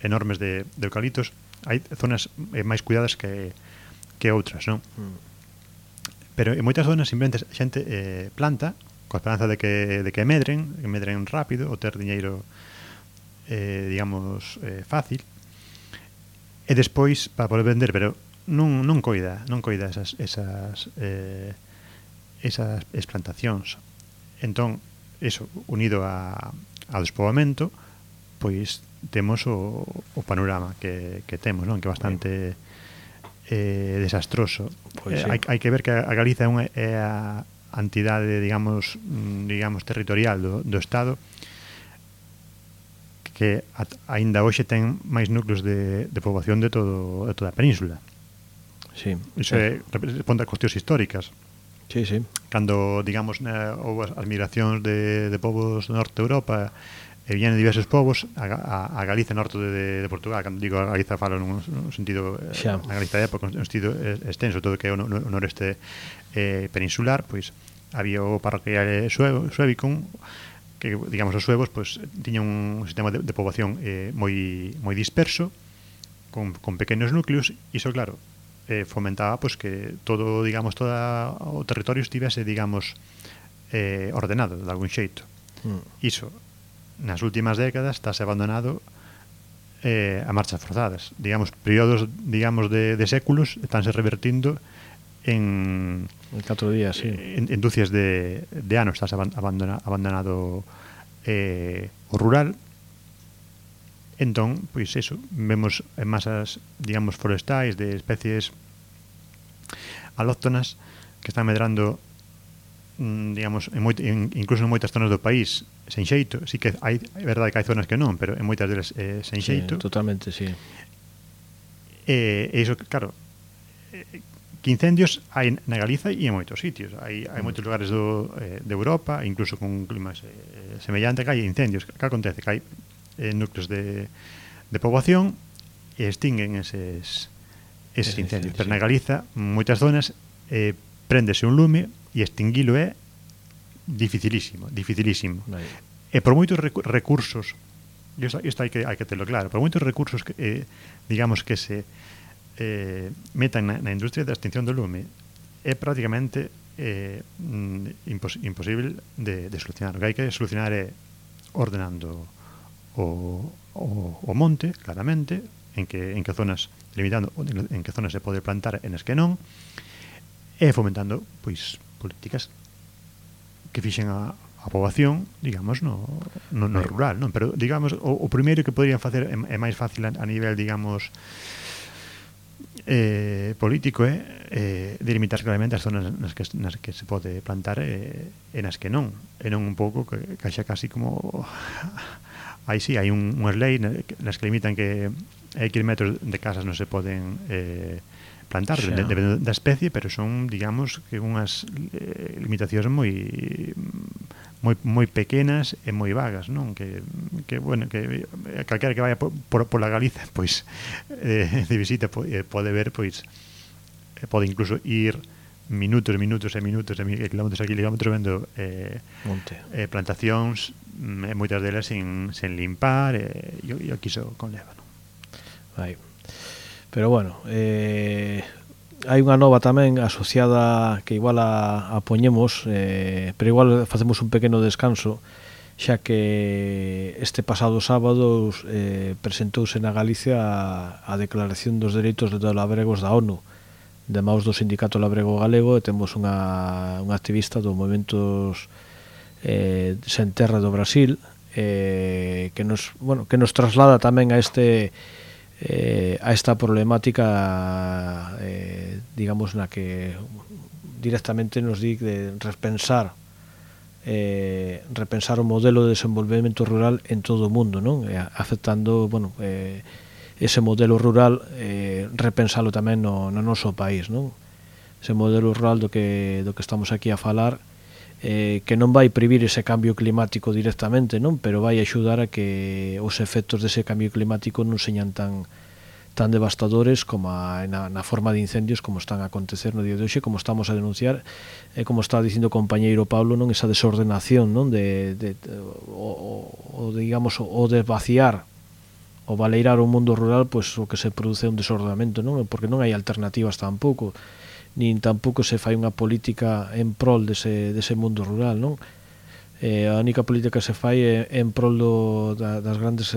enormes de eucaliptos, hai zonas máis cuidadas que outras, non? Pero en moitas zonas simplemente a xente planta coa esperanza de que medren rápido, ou ter diñeiro digamos fácil, e despois para poder vender, pero non coida esas plantacións. Entón, eso, unido ao despoboamento, pois temos o panorama que temos, non? Que é bastante desastroso. Pois hai que ver que a Galiza é a entidade, digamos territorial do Estado que aínda hoxe ten máis núcleos de poboación de toda a península. Sí. Iso responde a cuestións históricas. Sí, sí. Cando, digamos, houve as migracións de povos do norte de Europa e viñan diversos povos a Galiza norte de Portugal. Cando digo a Galiza falo nun sentido na Galiza de época, nun sentido extenso, todo que é o noreste peninsular, pois había o parroquial suevicum, que, digamos, os suevos pois tiñan un sistema de poboación moi disperso, con pequenos núcleos, e iso, claro, fomentaba pois que todo, digamos, todo o territorio estivese, digamos, ordenado de algún xeito. Iso nas últimas décadas estáse abandonado a marchas forzadas. Digamos, períodos, digamos, de séculos estánse revertindo en 4 días, sí. En dúcias de anos estáse abandonado o rural. Entón, pois eso, vemos en masas, digamos, forestais de especies alóctonas que están medrando, digamos, incluso en moitas zonas do país sen xeito. Sí que é verdade que hai zonas que non, pero en moitas delas sen xeito. Totalmente, sí. E iso, claro, que incendios hai na Galiza e en moitos sitios. Hai moitos lugares de Europa, incluso con climas semellante, que hai incendios. Que acontece? Que hai núcleos de poboación e extinguen eses incendios. Pero na Galiza, moitas zonas, préndese un lume e extinguilo é dificilísimo. E por moitos recursos, isto hai que terlo claro, por moitos recursos que, digamos, que se metan na industria da extinción do lume, é prácticamente imposible de solucionar. O que hai que solucionar é ordenando o monte, claramente, en que zonas, limitando en que zonas se pode plantar e nas que non, e fomentando, pois, políticas que fixen a poboación, digamos, no rural, non? Pero, digamos, o primeiro que poderían facer é máis fácil a nivel, digamos, político, delimitar claramente as zonas nas que se pode plantar e nas que non. E non un pouco que xa casi como... Aí sí, hai unhas leis nas que limitan que hai kilómetros de casas non se poden plantar, depende da especie, pero son, digamos, que unhas limitacións moi pequenas e moi vagas, non? Que bueno, que calquera que vaya pola Galiza, pois de visita pode ver, pois pode incluso ir minutos e kilómetros aquí, kilómetros vendo plantacións, moitas delas sen limpar, e aquí iso conleva, non? Aí. Pero bueno, hai unha nova tamén asociada que igual a poñemos, pero igual facemos un pequeno descanso, xa que este pasado sábado presentouse na Galicia a Declaración dos Dereitos dos Labregos da ONU, de maus do Sindicato Labrego Galego, e temos unha activista do Movementos Sen Terra do Brasil, que nos traslada tamén a esta problemática, digamos, na que directamente nos di de repensar o modelo de desenvolvemento rural en todo o mundo, non? Afectando, ese modelo rural, repensalo tamén no noso país, non? Ese modelo rural do que estamos aquí a falar, que non vai previr ese cambio climático directamente, non? Pero vai axudar a que os efectos dese cambio climático non señan tan devastadores como na forma de incendios como están a acontecer no día de hoxe, como estamos a denunciar, e como está dicindo o compañeiro Pablo, non, esa desordenación, non, digamos, o de vaciar o valeirar o mundo rural, pois o que se produce é un desordenamento, non? Porque non hai alternativas tampouco, nin tampouco se fai unha política en prol dese mundo rural, non? A única política que se fai é en prol das grandes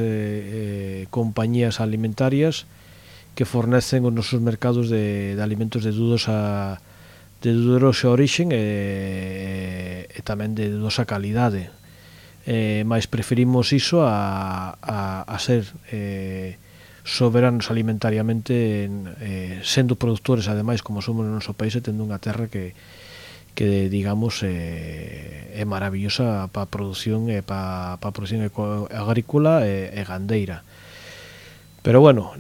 compañías alimentarias que fornecen os nosos mercados de alimentos de dudosa orixen e tamén de dudosa calidade. Mais preferimos iso a ser soberanos alimentariamente, sendo produtores, ademais, como somos no noso país, e tendo unha terra que digamos, é maravillosa para a produción agrícola e gandeira. Pero bueno,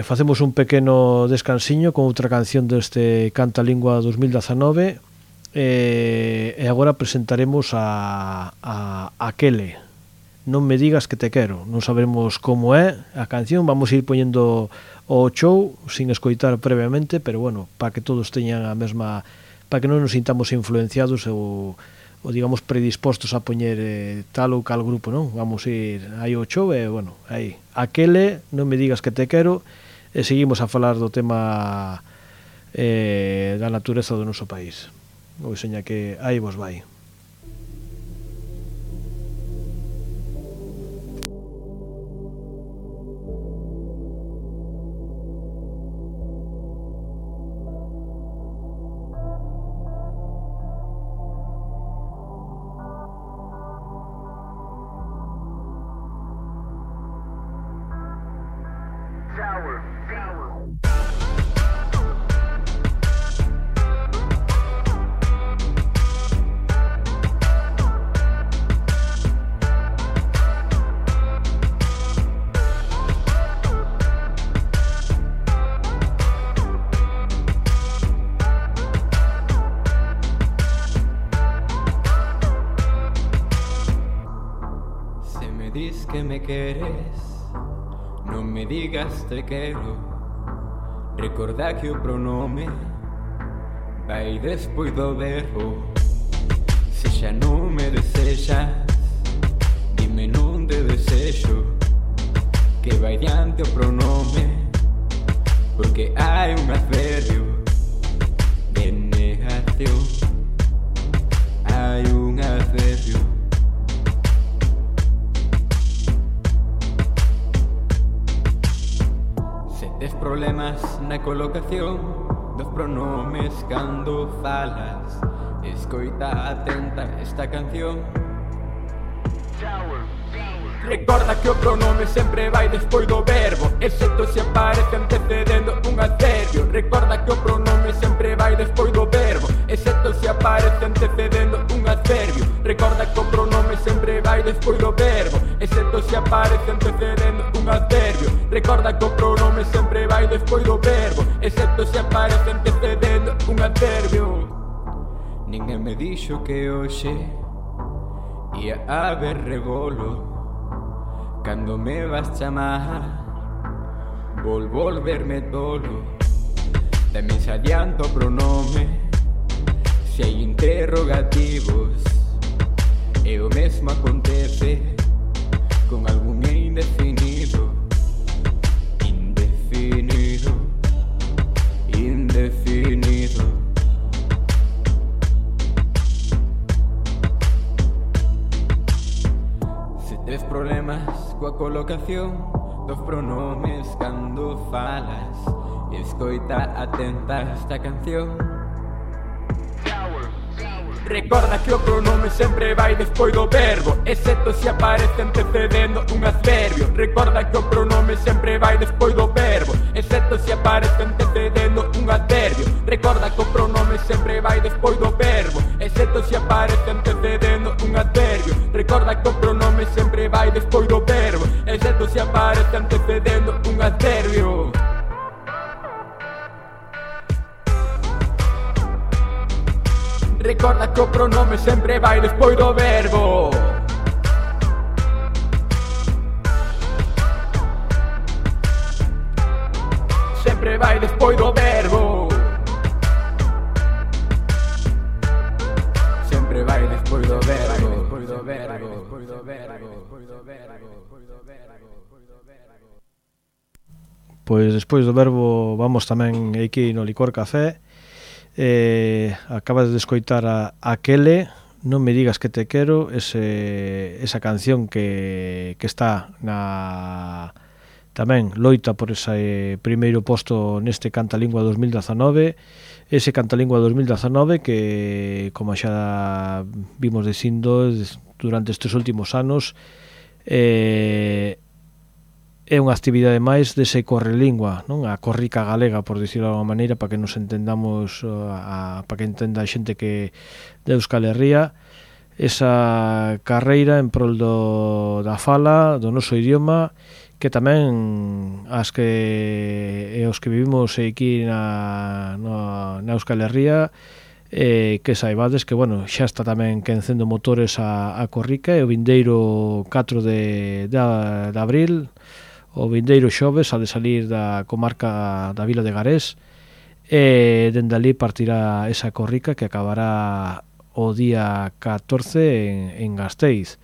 facemos un pequeno descansiño con outra canción deste Canta Lingua 2019, e agora presentaremos a Aquele, Non me digas que te quero. Non sabemos como é a canción, vamos a ir poñendo o show sin escoitar previamente, pero bueno, para que todos teñan a mesma, para que non nos sintamos influenciados ou digamos predispostos a poñer tal ou cal grupo, non? Vamos a ir aí o show e, bueno, aí Aquele, Non me digas que te quero, e seguimos a falar do tema da natureza do noso país. Ou seña que aí vos vai. Non me digas te quero. Recorda que o pronome vai despois do verbo. Se xa non me desexas, dime non te desexo, que vai diante o pronome, porque hai un adverbio de negación. Hai un adverbio. Tes problemas na colocación dos pronomes cando falas. Escoita atenta esta canción. Recorda que o pronome sempre vai despois do verbo, excepto se aparece antecedendo un adverbio. Recorda que o pronome sempre vai despois do verbo, excepto se aparece antecedendo un adverbio. Recorda que o pronome sempre vai despois do verbo, excepto se aparece antecedendo un adverbio. Recorda que o pronome sempre vai despois do verbo, excepto se aparece antecedendo un adverbio. Ninguén me dixo que hoxe ia haber rebolo. Cando me vas chamar, volverme tolo. Tamén se adianta o pronome se hai interrogativos. E o mesmo acontece con algún indefinido. Indefinido. Indefinido. Se tes problemas coa colocación dos pronomes cando falas, escoita atenta esta canción. Recorda que o pronome sempre vai despois do verbo, excepto se aparece antecedendo un adverbio. Recorda que o pronome sempre vai despois do verbo, excepto se aparece antecedendo un adverbio. Recorda que o pronome sempre vai despois do verbo, excepto se aparece antecedendo un adverbio. Recorda que o pronome sempre vai despois do verbo, excepto se aparece antecedendo un adverbio. Recorda que o pronome sempre vai despois do verbo. Sempre vai despois do verbo. Sempre vai despois do verbo. Despois do verbo. Despois do verbo. Despois do verbo. Pois despois do verbo vamos tamén aquí no Licor Café. Acabas de escoitar a Aquele, Non me digas que te quero, esa canción que está na tamén loita por ese primeiro posto neste Cantalingua 2019. Ese Cantalingua 2019 que, como xa vimos dicindo durante estes últimos anos, é unha actividade máis dese correlingua, non? A corrica galega, por dicirlo de alguma maneira, para que nos entendamos, para que entenda a xente que de Euskal Herria, esa carreira en prol da fala, do noso idioma, que tamén os que vivimos aquí na Euskal Herria, que saibades que, bueno, xa está tamén quencendo motores a corrica, e o vindeiro 4 de abril, o vindeiro xoves, ha de salir da comarca da Vila de Garés, e dende ali partirá esa corrica que acabará o día 14 en Gasteiz.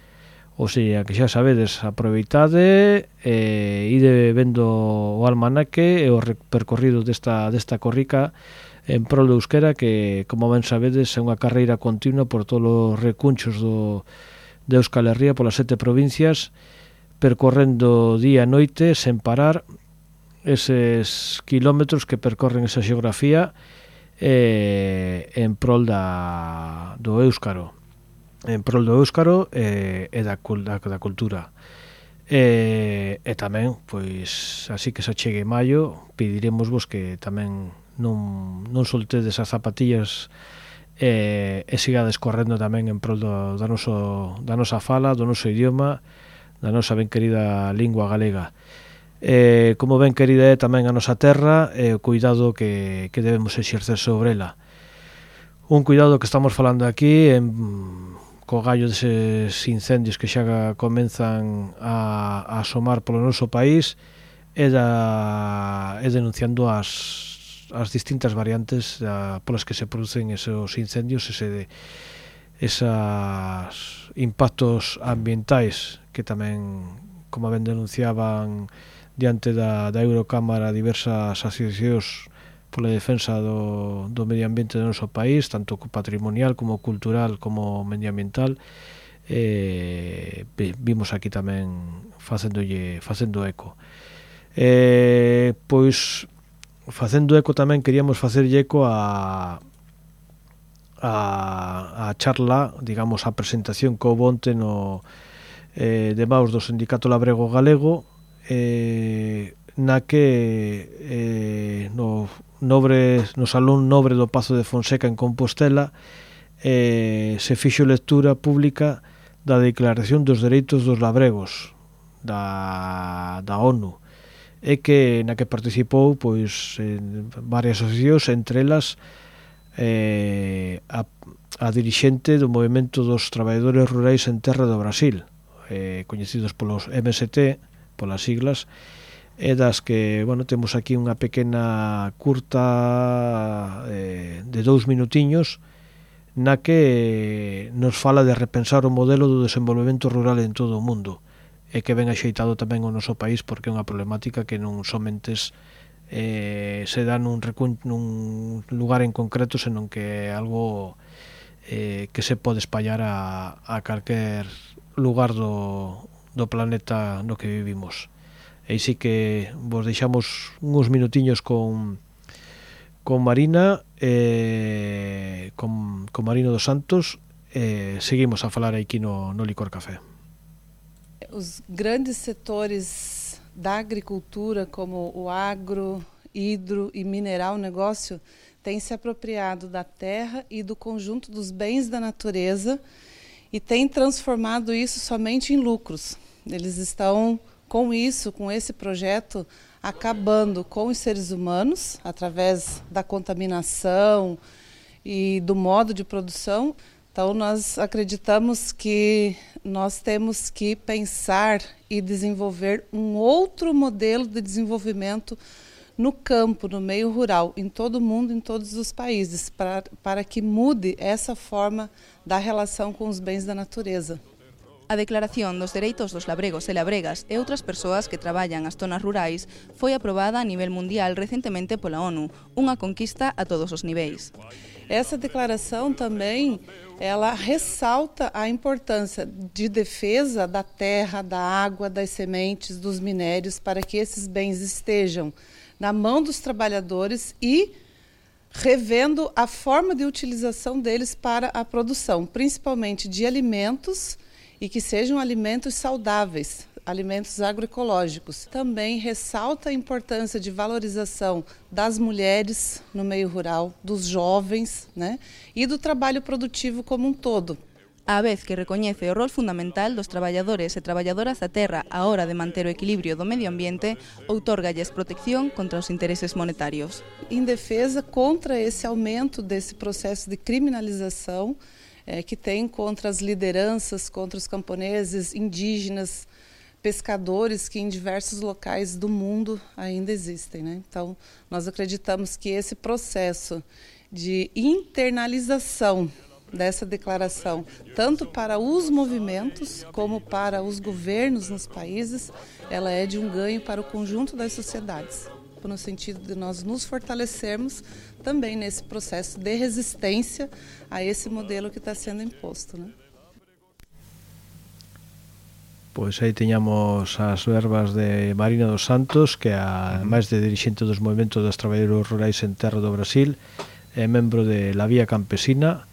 O sea, que xa sabedes, aproveitade, ide vendo o almanaque e o percorrido desta corrica en prol do euskera, que, como ben sabedes, é unha carreira continua por todos os recunchos de Euskal Herria, polas 7 provincias, percorrendo día e noite sen parar eses kilómetros que percorren esa xeografía en prol do éuskaro, e da cultura. E tamén, pois, así que se achegue maio, pediremosvos que tamén non soltedes as zapatillas e sigades correndo tamén en prol da nosa fala, do noso idioma, da nosa ben querida lingua galega. Como ben querida é tamén a nosa terra, e o cuidado que debemos exercer sobre ela. Un cuidado que estamos falando aquí co gallo deses incendios que xa comenzan a asomar polo noso país, e denunciando as distintas variantes polas que se producen esos incendios, esos impactos ambientais que tamén, como ben denunciaban diante da Eurocámara diversas asociacións pola defensa do medio ambiente do noso país, tanto patrimonial como cultural como medioambiental, vimos aquí tamén facendo eco. Pois facendo eco tamén queríamos facerlle eco a charla, digamos, a presentación que houve onte de maus do Sindicato Labrego Galego, na que no Salón Nobre do Pazo de Fonseca en Compostela se fixo lectura pública da Declaración dos Dereitos dos Labregos da ONU, e que na que participou pois varias asociacións, entre elas a dirixente do Movemento dos Traballadores Rurais en Terra do Brasil, coñecidos polos MST, polas siglas, e das que, bueno, temos aquí unha pequena curta de 2 minutiños na que nos fala de repensar o modelo do desenvolvemento rural en todo o mundo e que ben axeitado tamén o noso país porque é unha problemática que non somente se dá nun lugar en concreto, senón que é algo que se pode espallar a calquer lugar do planeta no que vivimos. E sí que vos deixamos uns minutiños con Marina, con Marino dos Santos, seguimos a falar aquí no Licor Café. Os grandes setores da agricultura, como o agro, hidro e mineral negócio, têm se apropriado da terra e do conjunto dos bens da natureza e têm transformado isso somente em lucros. Eles estão com isso, com esse projeto, acabando com os seres humanos através da contaminação e do modo de produção. Então nós acreditamos que nós temos que pensar e desenvolver um outro modelo de desenvolvimento no campo, no meio rural, em todo o mundo, em todos os países, para que mude essa forma da relação com os bens da natureza. A Declaración dos Dereitos dos Labregos e Labregas e outras persoas que traballan as zonas rurais foi aprobada a nivel mundial recentemente pola ONU, unha conquista a todos os niveis. Essa declaração também, ela ressalta a importância de defesa da terra, da água, das sementes, dos minérios, para que esses bens estejam na mão dos trabalhadores e revendo a forma de utilização deles para a produção, principalmente de alimentos, e que sejam alimentos saudáveis, alimentos agroecológicos. Também ressalta a importância de valorização das mulheres no meio rural, dos jovens, né, e do trabalho produtivo como um todo. A vez que recoñece o rol fundamental dos traballadores e traballadoras da terra á hora de manter o equilibrio do medio ambiente, outorgalles protección contra os intereses monetarios. Em defesa contra esse aumento desse processo de criminalização que tem contra as lideranças, contra os camponeses, indígenas, pescadores que em diversos locais do mundo ainda existem, né? Então, nós acreditamos que esse processo de internalização dessa declaração, tanto para os movimentos como para os governos nos países, ela é de um ganho para o conjunto das sociedades, no sentido de nós nos fortalecermos também nesse processo de resistência a esse modelo que está sendo imposto, né? Pois aí teñamos as verbas de Marina dos Santos, que é máis de dirixente dos movimentos dos traballadores rurais en terra do Brasil, é membro de La Vía Campesina,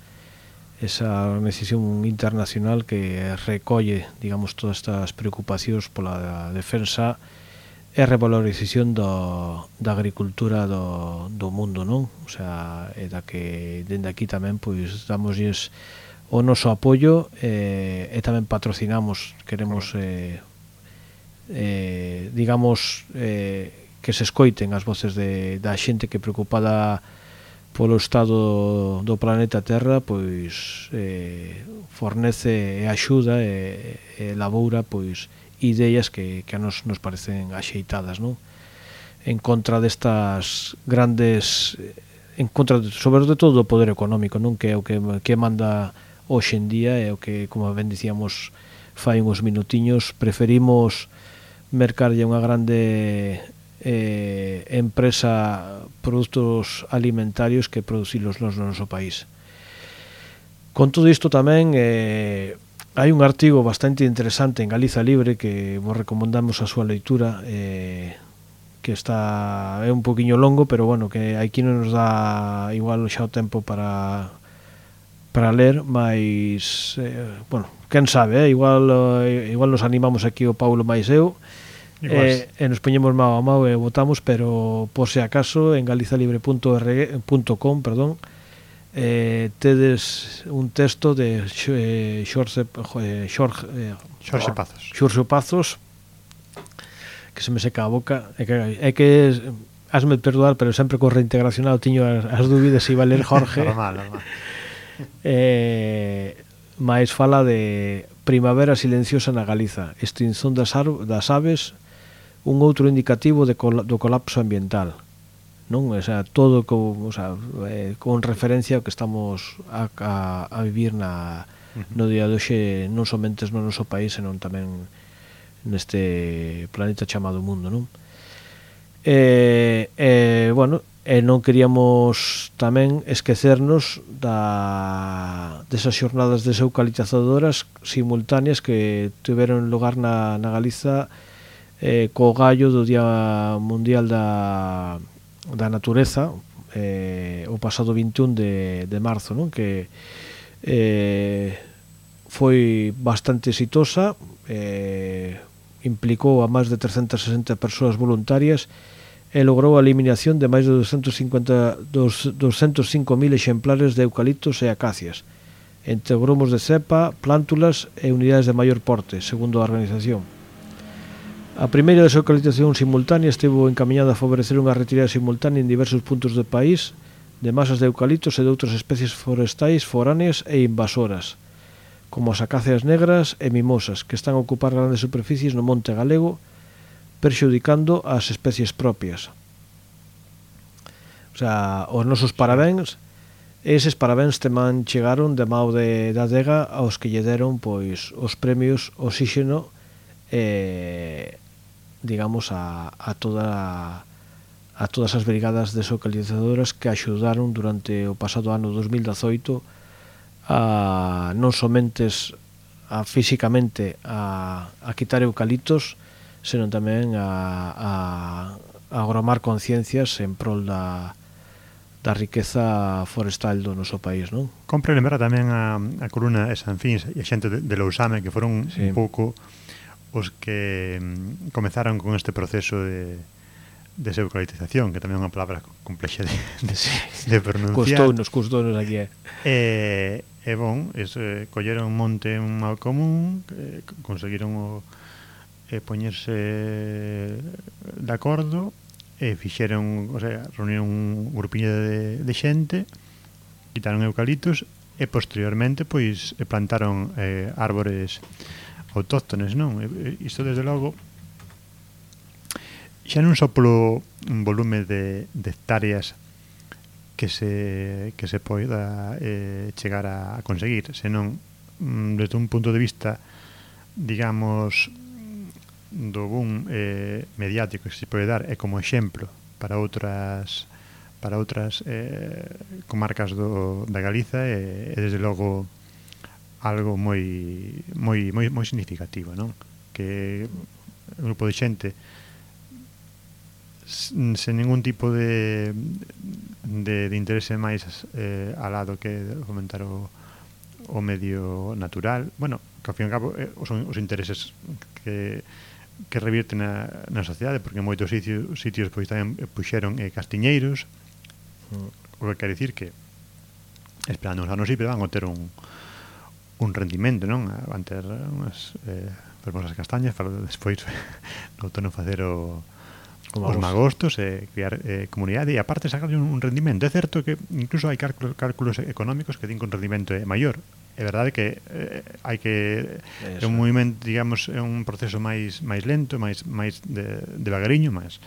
esa organización internacional que recolle, digamos, todas estas preocupacións pola defensa e revalorización da agricultura do mundo, non? O sea, é da que dende aquí tamén pois damosles o noso apoio e tamén patrocinamos, queremos digamos que se escoiten as voces da xente que preocupada polo estado do planeta Terra, pois fornece e axuda e elaboura pois ideas que a nos parecen axeitadas, non? En contra destas grandes, en contra sobre todo do poder económico, non? Que é o que manda hoxe en día, é o que, como ben dicíamos fai uns minutiños, preferimos mercarlle unha grande empresa produtos alimentarios que producilos no noso país. Con todo isto tamén hai un artigo bastante interesante en Galiza Libre que vos recomendamos a súa leitura, que é un poquinho longo, pero bueno, que aquí non nos dá igual xa o tempo para ler, mas bueno, quen sabe, igual nos animamos aquí o Paulo máis eu, e nos poñemos mao a mao e votamos, pero por se acaso en galizalibre.com, perdón, tedes un texto de Xorxe Pazos, que se me seca a boca, é que hasme perdoar, pero sempre con reintegracionado tiño as dúbidas se iba a ler Jorge. normal. Mais fala de primavera silenciosa na Galiza, extinción das aves, un outro indicativo do colapso ambiental. non? O sea, todo con referencia ao que estamos a vivir no día de hoxe, non somente no noso país, senón tamén neste planeta chamado mundo, non? Bueno, non queríamos tamén esquecernos desas xornadas deseucalitizadoras simultáneas que tiveron lugar na Galiza co gallo do Día Mundial da Natureza, o pasado 21 de marzo, non? Que foi bastante exitosa, implicou a máis de 360 persoas voluntarias e logrou a eliminación de máis de 205.000 exemplares de eucaliptos e acacias, entre gromos de cepa, plántulas e unidades de maior porte, segundo a organización. A primeira deseucalitización simultánea estivo encaminhada a favorecer unha retirada simultánea en diversos puntos do país de masas de eucaliptos e de outras especies forestais foráneas e invasoras, como as acacias negras e mimosas, que están a ocupar grandes superficies no monte galego, perxudicando as especies propias. O sea, os nosos parabéns, eses parabéns tamén chegaron de mao da adega aos que lle deron pois os premios Oxígeno, digamos, a todas as brigadas deseucalitizadoras que axudaron durante o pasado ano 2018 a non somente físicamente a quitar eucaliptos, senón tamén a agromar conciencias en prol da riqueza forestal do noso país, non? Compre lembrar tamén a columna de Sanfins e a xente de Lousame, que foron un pouco os que comezaron con este proceso de deseucalitización, que tamén é unha palabra complexa de pronunciar. Custounos aquí. Bon, colleron un monte un mal común, conseguiron poñerse de acordo e fixeron, o sea, reunieron un grupiño de xente, quitaron eucaliptos e posteriormente pois plantaron árbores autóctones, non? Isto desde logo xa non só polo volume de hectáreas que se poida chegar a conseguir, senón desde un punto de vista, digamos, do boom mediático que se pode dar e como exemplo para outras comarcas da Galiza é desde logo algo moi significativo, non? Que un grupo de xente sen ningún tipo de interese máis alado que fomentar o medio natural, bueno, que ao fin e ao cabo son os intereses que revirten na sociedade, porque en moitos sitios pois tamén puxeron castiñeiros, o que quer dicir que esperando uns anos van a ter un rendimento, non? Van ter unhas fermosas castañas para despois no outono facer os magostos e criar comunidade e aparte sacarlle un rendimento. É certo que incluso hai cálculos económicos que din que un rendimento é maior. É verdade que hai que é un movimento, digamos, é un proceso máis lento, máis devagariño, máis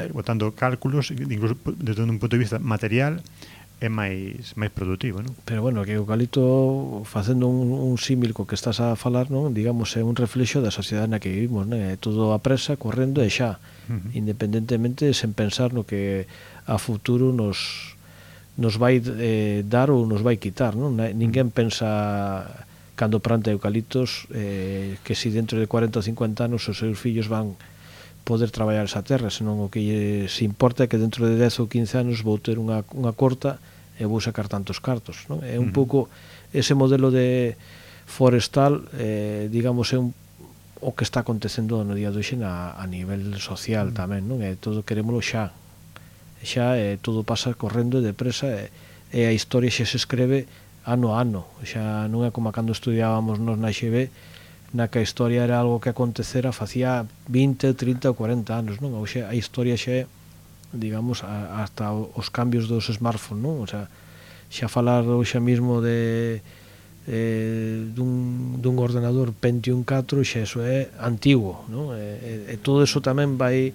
botando cálculos, incluso desde un punto de vista material é máis produtivo, non? Pero bueno, que o eucalipto, facendo un símil co que estás a falar, non? Digamos, é un reflexo da sociedade na que vivimos, non? É todo a presa, correndo e xa, independentemente, sen pensar no que a futuro nos vai dar ou nos vai quitar, non? Ninguén pensa, cando planta eucaliptos, que si dentro de 40 ou 50 anos os seus fillos van poder traballar esa terra, senón o que se importa é que dentro de 10 ou 15 anos vou ter unha corta e vou sacar tantos cartos, non? É un pouco ese modelo de forestal, digamos, é o que está acontecendo no día de hoxe a nivel social tamén, non? Todo querémolo xa, todo pasa correndo e depresa e a historia xa se escreve ano a ano, xa non é como cando estudiábamos nos na XB, na que a historia era algo que acontecera facía 20, 30 ou 40 anos, non? Hoxe a historia xa é, digamos, hasta os cambios dos smartphones, non? O sea, xa falar hoxe mismo dun ordenador Pentium 4 xa eso é antigo, non? E todo eso tamén vai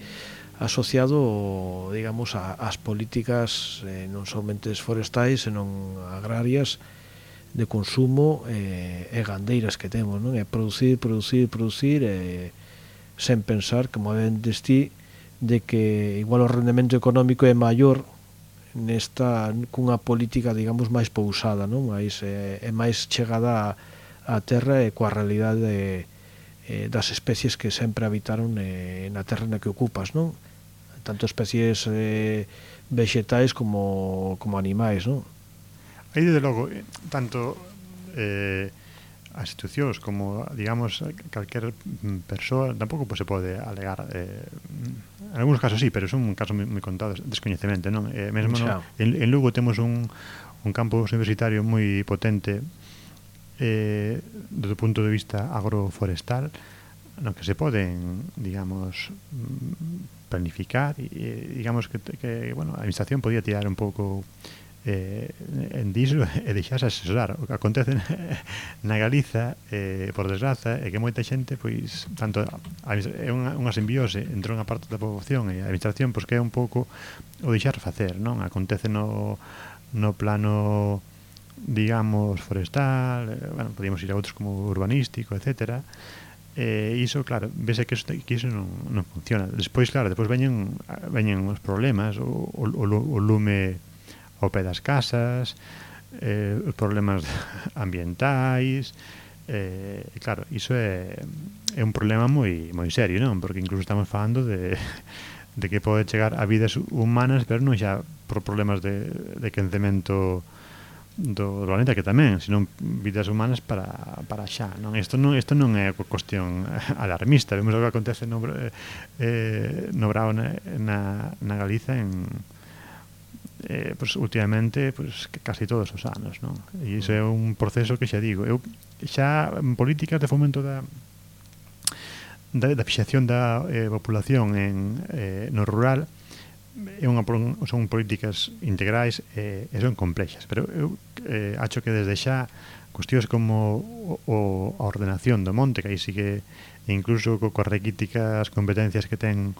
asociado, digamos, ás políticas non somente forestais, senón agrarias, de consumo e gandeiras que temos, non? É producir, sen pensar, como ben destí, de que igual o rendemento económico é maior cunha política, digamos, máis pousada, non? É máis chegada á terra e coa realidade das especies que sempre habitaron na terra na que ocupas, non? Tanto especies vegetais como animais, non? Aí, desde logo, tanto as institucións como, digamos, calquer persoa tampouco se pode alegar, en algúns casos sí, pero son casos moi contados, descoñecemento, non? Mesmo en Lugo temos un campus universitario moi potente do punto de vista agroforestal, no que se poden, digamos, planificar e digamos que bueno, a administración podía tirar un pouco en diso e deixarse asesorar. O que acontece na Galiza, por desgraza, é que moita xente, pois, tanto é unha simbiose entre unha parte da poboación e a administración, pois que é un pouco o deixar facer, non? Acontece no plano, digamos, forestal, bueno, podíamos ir a outros como urbanístico, etcétera. Iso, claro, vese que iso non funciona. Despois, claro, veñen os problemas, o lume ao pé das casas, os problemas ambientais, claro, iso é un problema moi serio, non? Porque incluso estamos falando de que pode chegar a vidas humanas, pero non xa por problemas de quencemento do planeta, que tamén, senón vidas humanas para xa, non? Isto non é cuestión alarmista. Vemos o que acontece no Brao na Galiza pues, últimamente, pues, casi todos os anos, non? E iso é un proceso que xa digo, eu xa en políticas de fomento da fixación da populación no rural, son políticas integrais e son complexas, pero eu acho que desde xa cuestións como a ordenación do monte, que aí sí que incluso coas requíticas competencias que ten,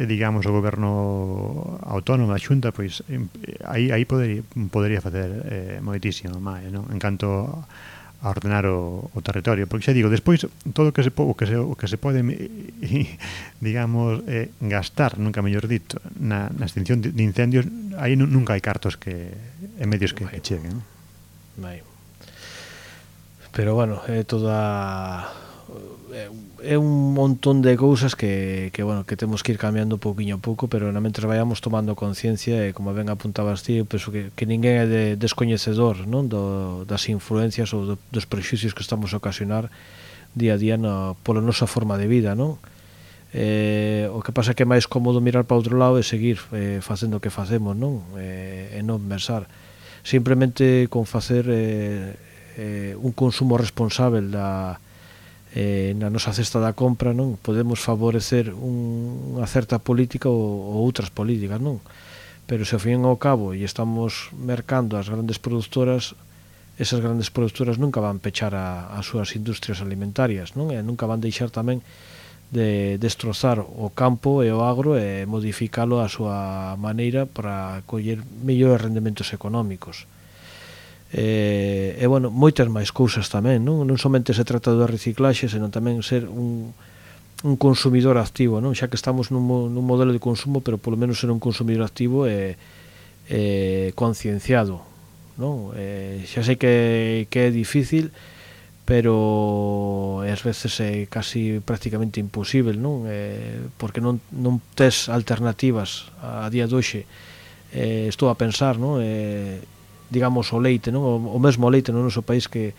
digamos, o goberno autónomo, a Xunta, pois aí podería facer moitísimo máis, non? En canto a ordenar o territorio, porque xa digo, despois todo o que se pode digamos gastar, nunca mellor dito, na extinción de incendios, aí nunca hai cartos e medios que cheguen. Pero bueno, é un montón de cousas que temos que ir cambiando pouquiño a pouco, pero mentre vayamos tomando conciencia, e como ben apuntabas ti, eu penso que ninguén é descoñecedor, non, das influencias ou dos prexuicios que estamos a ocasionar día a día pola nosa forma de vida, non? O que pasa é que é máis cómodo mirar para outro lado e seguir facendo o que facemos, non? E non pensar. Simplemente con facer un consumo responsável na nosa cesta da compra, non podemos favorecer unha certa política ou outras políticas, non? Pero se ao fin e ao cabo e estamos mercando as grandes produtoras, esas grandes produtoras nunca van pechar as súas industrias alimentarias, non? E nunca van deixar tamén de destrozar o campo e o agro e modificalo a súa maneira para coller mellores rendementos económicos. E bueno, moitas máis cousas tamén, non somente se trata do reciclaxe, senón tamén ser un consumidor activo, non? Xa que estamos nun modelo de consumo, pero polo menos ser un consumidor activo e concienciado, non? Xa sei que é difícil, pero ás veces é casi prácticamente imposible, non? Porque non tes alternativas a día de hoxe. Estou a pensar, non? Digamos, o leite, non? O mesmo leite no noso país que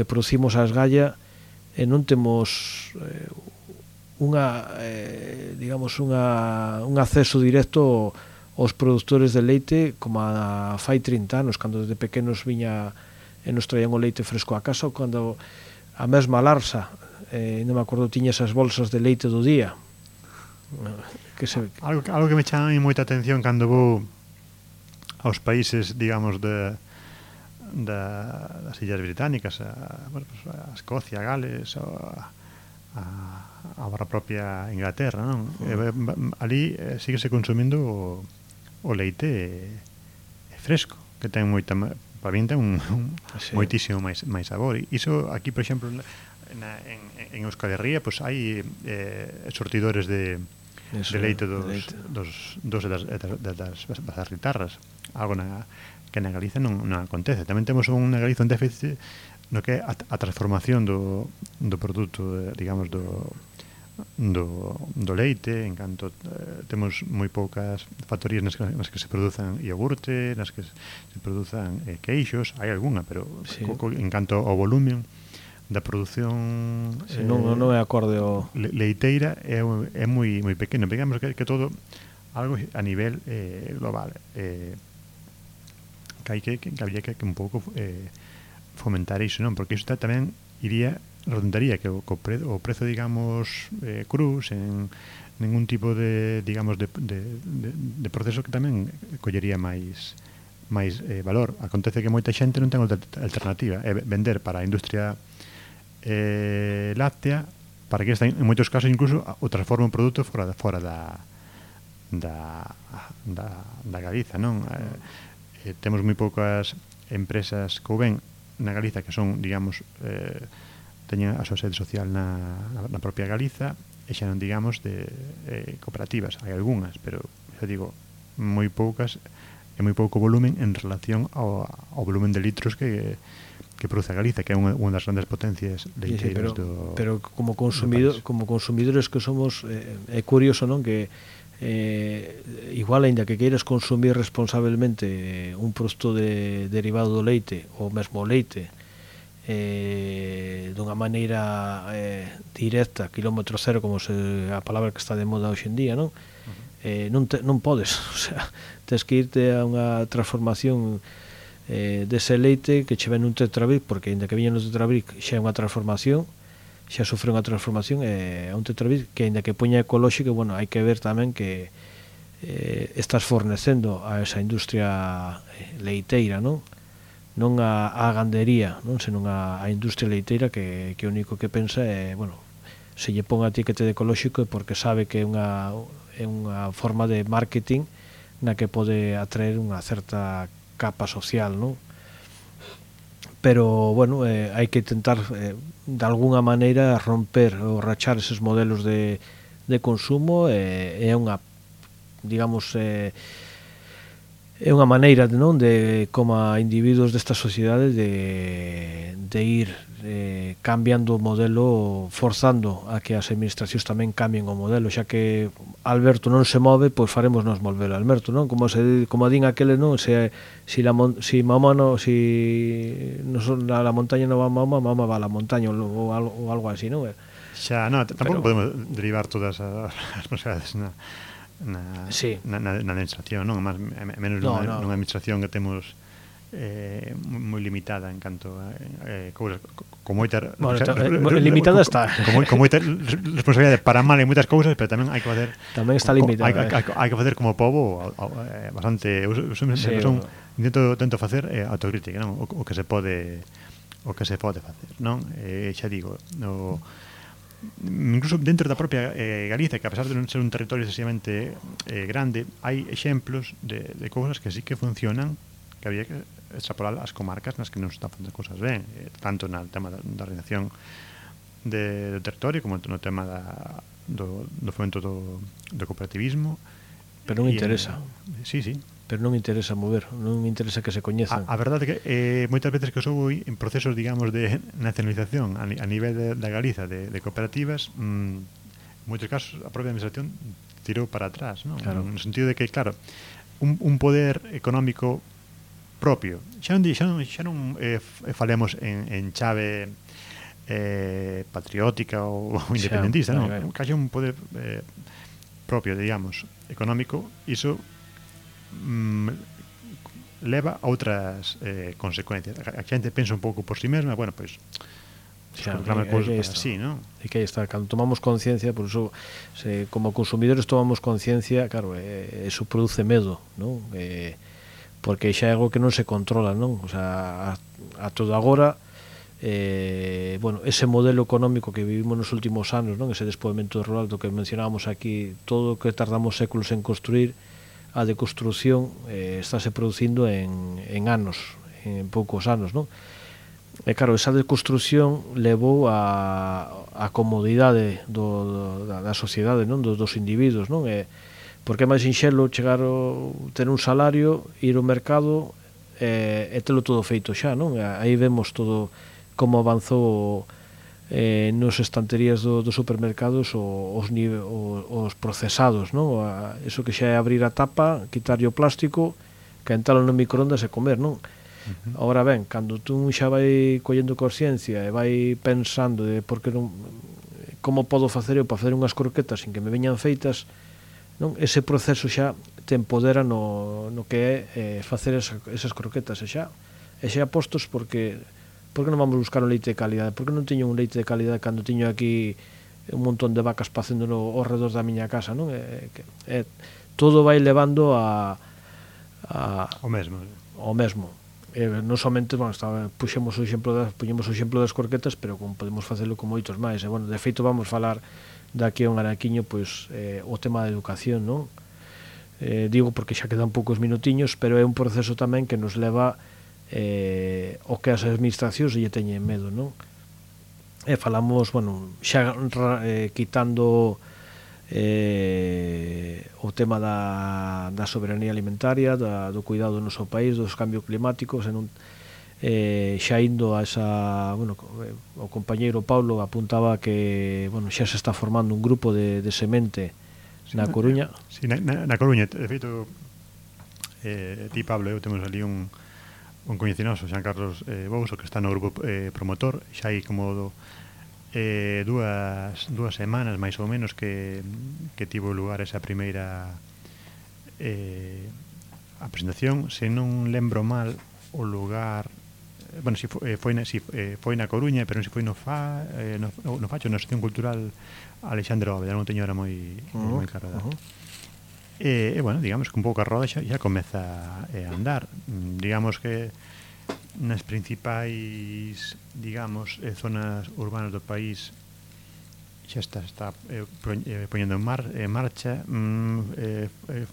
producimos a esgalla, e non temos digamos, un acceso directo aos produtores de leite como fai 30 anos, cando desde pequenos viña e nos traían o leite fresco a casa, ou cando a mesma Larsa, non me acordo, tiña esas bolsas de leite do día. Algo que me chama moita atención cando vou aos países, digamos, das Illas Británicas, a Escocia, a Gales, a a barra propia Inglaterra, non? Ali síguese consumindo o leite fresco, que ten moita, para min ten moitísimo máis sabor. Iso aquí, por exemplo, en Euskal Herria, pois hai sortidores de leite dos das bazarritarras, algo que na Galiza non acontece. Tamén temos unha Galiza un déficit no que é a transformación do produto, digamos, do leite, en canto temos moi poucas factorías nas que se produzan iogurte, nas que se produzan queixos, hai algunha, pero en canto ao volumen da produción non é acorde ao leiteira é moi pequeno. Digamos que todo algo a nivel global, que habría que un pouco fomentar iso, non? Porque iso tamén redundaría que o prezo, digamos, cru, sen ningún tipo de, digamos, de proceso, que tamén collería máis valor. Acontece que moita xente non ten outra alternativa, é vender para a industria láctea, para que esta, en moitos casos, incluso o transforma un produto fora da Galiza, non? Temos moi poucas empresas que ven na Galiza que son, digamos, teñen a súa sede social na propia Galiza, e xa non digamos de cooperativas. Hai algunhas, pero xa digo, moi poucas e moi pouco volumen en relación ao volumen de litros que produce a Galiza, que é unha das grandes potencias leiteiras do... Pero como consumidores que somos, é curioso, non, que igual, aínda que queiras consumir responsablemente un produto derivado do leite, ou mesmo o leite, dunha maneira directa, kilómetro cero, como a palabra que está de moda hoxe en día, non? Non podes, o sea, tens que irte a unha transformación dese leite que che ven un tetrabric, porque aínda que viña no tetrabric xa é unha transformación, xa sofre unha transformación, a un tetrabric que aínda que poña ecolóxico, bueno, hai que ver tamén que estás fornecendo a esa industria leiteira, non? Non a gandería, non? Senón a industria leiteira que o único que pensa é, bueno, se lle pon a etiquete de ecolóxico é porque sabe que é unha forma de marketing na que pode atraer unha certa capa social, non? Pero, bueno, hai que intentar de alguna maneira romper ou rachar eses modelos de consumo, é unha, digamos, é unha maneira, non, de, como a individuos desta sociedade, de ir cambiando o modelo, forzando a que as administracións tamén cambien o modelo, xa que Alberto non se move, pois faremos nos mover Alberto, non? Como din aquele, non? Si Mahoma no, si la montaña non va a Mahoma, Mahoma va a la montaña, ou algo así, non? Xa, non, tampouco podemos derivar todas as responsabilidades na administración, non? Menos nunha administración que temos moi limitada en canto a cousas, con moita limitada está, con moita responsabilidade para mal en moitas cousas, pero tamén hai que facer, tamén está limitada, hai que facer como pobo bastante, intento facer autocrítica, non? O que se pode facer, non? Xa digo, incluso dentro da propia Galiza, que a pesar de non ser un territorio excesivamente grande, hai exemplos de cousas que sí que funcionan, que había que extrapolar as comarcas nas que non se están facendo cousas ben, tanto no tema da organización do territorio como no tema do fomento do cooperativismo. Pero non interesa. Sí. Pero non interesa mover, non interesa que se coñezan. A verdade é que moitas veces que soubo en procesos, digamos, de nacionalización a nivel da Galiza de cooperativas, en moitos casos a propia administración tirou para atrás, non? Claro. No sentido de que, claro, un poder económico propio, xa non falemos en chave patriótica ou independentista, non? Case un poder propio, digamos, económico, iso leva a outras consecuencias. A xente pensa un pouco por si mesma, bueno, pois así, non? E que aí está, cando tomamos conciencia, por iso, como consumidores tomamos conciencia, claro, eso produce medo, non? Porque xa é algo que non se controla, non? O sea, a todo agora bueno, ese modelo económico que vivimos nos últimos anos, non? Ese despoboamento rural do que mencionábamos aquí, todo o que tardamos séculos en construir, a deconstrucción estáse producindo en anos, en poucos anos, non? E claro, esa deconstrucción levou a comodidade da sociedade, non? Dos individuos, non? Porque é máis sinxelo chegar ter un salario, ir ao mercado e telo todo feito xa, non? Aí vemos todo como avanzou nos estanterías dos supermercados os procesados, non? Eso que xa é abrir a tapa, quitarlle o plástico, quentalo no microondas e comer, non? Ahora ben, cando tú xa vai collendo consciencia e vai pensando de por que non, como podo facer eu para facer unhas croquetas sin que me veñan feitas, non? Ese proceso xa te empodera no que é facer esas croquetas e xa postos porque non vamos buscar un leite de calidade? Porque non teño un leite de calidade cando teño aquí un montón de vacas pacéndolo ao redor da miña casa, non? Todo vai levando ao mesmo. Non somente, bueno, puxemos o exemplo das croquetas, pero como podemos facelo con moitos máis. Bueno, de feito vamos falar daqui a un araquiño pois o tema da educación, non? Digo porque xa quedan poucos minutiños, pero é un proceso tamén que nos leva o que as administracións lle teñen medo, non? E falamos, bueno, xa quitando o tema da soberanía alimentaria, do cuidado do noso país, dos cambios climáticos, xa indo a esa, bueno, o compañeiro Paulo apuntaba que, bueno, xa se está formando un grupo de semente na Coruña. Si, na Coruña, de feito, ti, Pablo, eu temos ali un coñecinoso, Xan Carlos Bouso, que está no grupo promotor, xa hai como dúas semanas máis ou menos que tivo lugar esa primeira a presentación. Se non lembro mal o lugar, bueno, si foi na Coruña, pero non se foi no Facho, na Asociación Cultural Alexandre Óveda, non teño ahora moi claro. E bueno, digamos que un pouco a roda xa comeza a andar. Digamos que nas principais, digamos, zonas urbanas do país xa está poñendo en marcha.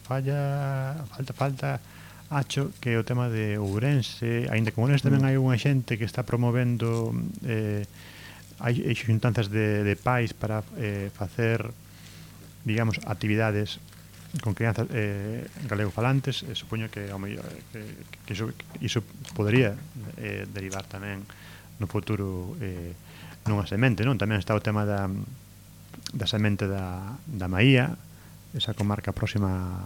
Falta acho que o tema de Ourense, aínda que Ourense tamén hai unha xente que está promovendo hai xuntanzas de pais para facer, digamos, actividades con crianzas galego-falantes. Supoño que ao mellor que iso podería derivar tamén no futuro nunha semente, non? Tamén está o tema da semente da Maía, esa comarca próxima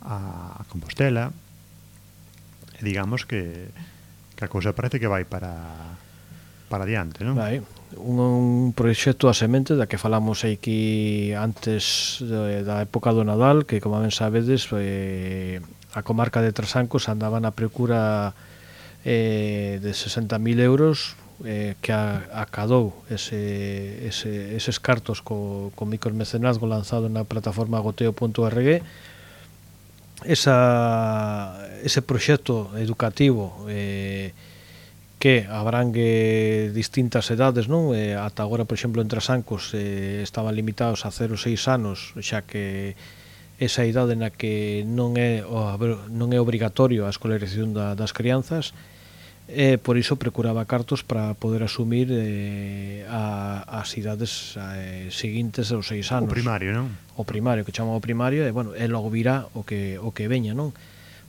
a Compostela. E digamos que a cousa parece que vai para adiante, non? Vai, un proxecto a semente da que falamos aquí antes da época do Nadal, que como ben sabedes, a comarca de Trasancos andaba na procura de 60.000 euros, que acadou eses cartos co micromecenazgo lanzado na plataforma goteo.org. Ese proxecto educativo que abrangue distintas edades, non? Ata agora, por exemplo, en Trasancos estaban limitados a 0 6 anos, xa que esa idade na que non é obrigatorio a escolarización das crianzas, e por iso procuraba cartos para poder asumir as idades seguintes aos 6 anos. O primario, non? O primario, que chamamos o primario, e logo virá o que veña, non?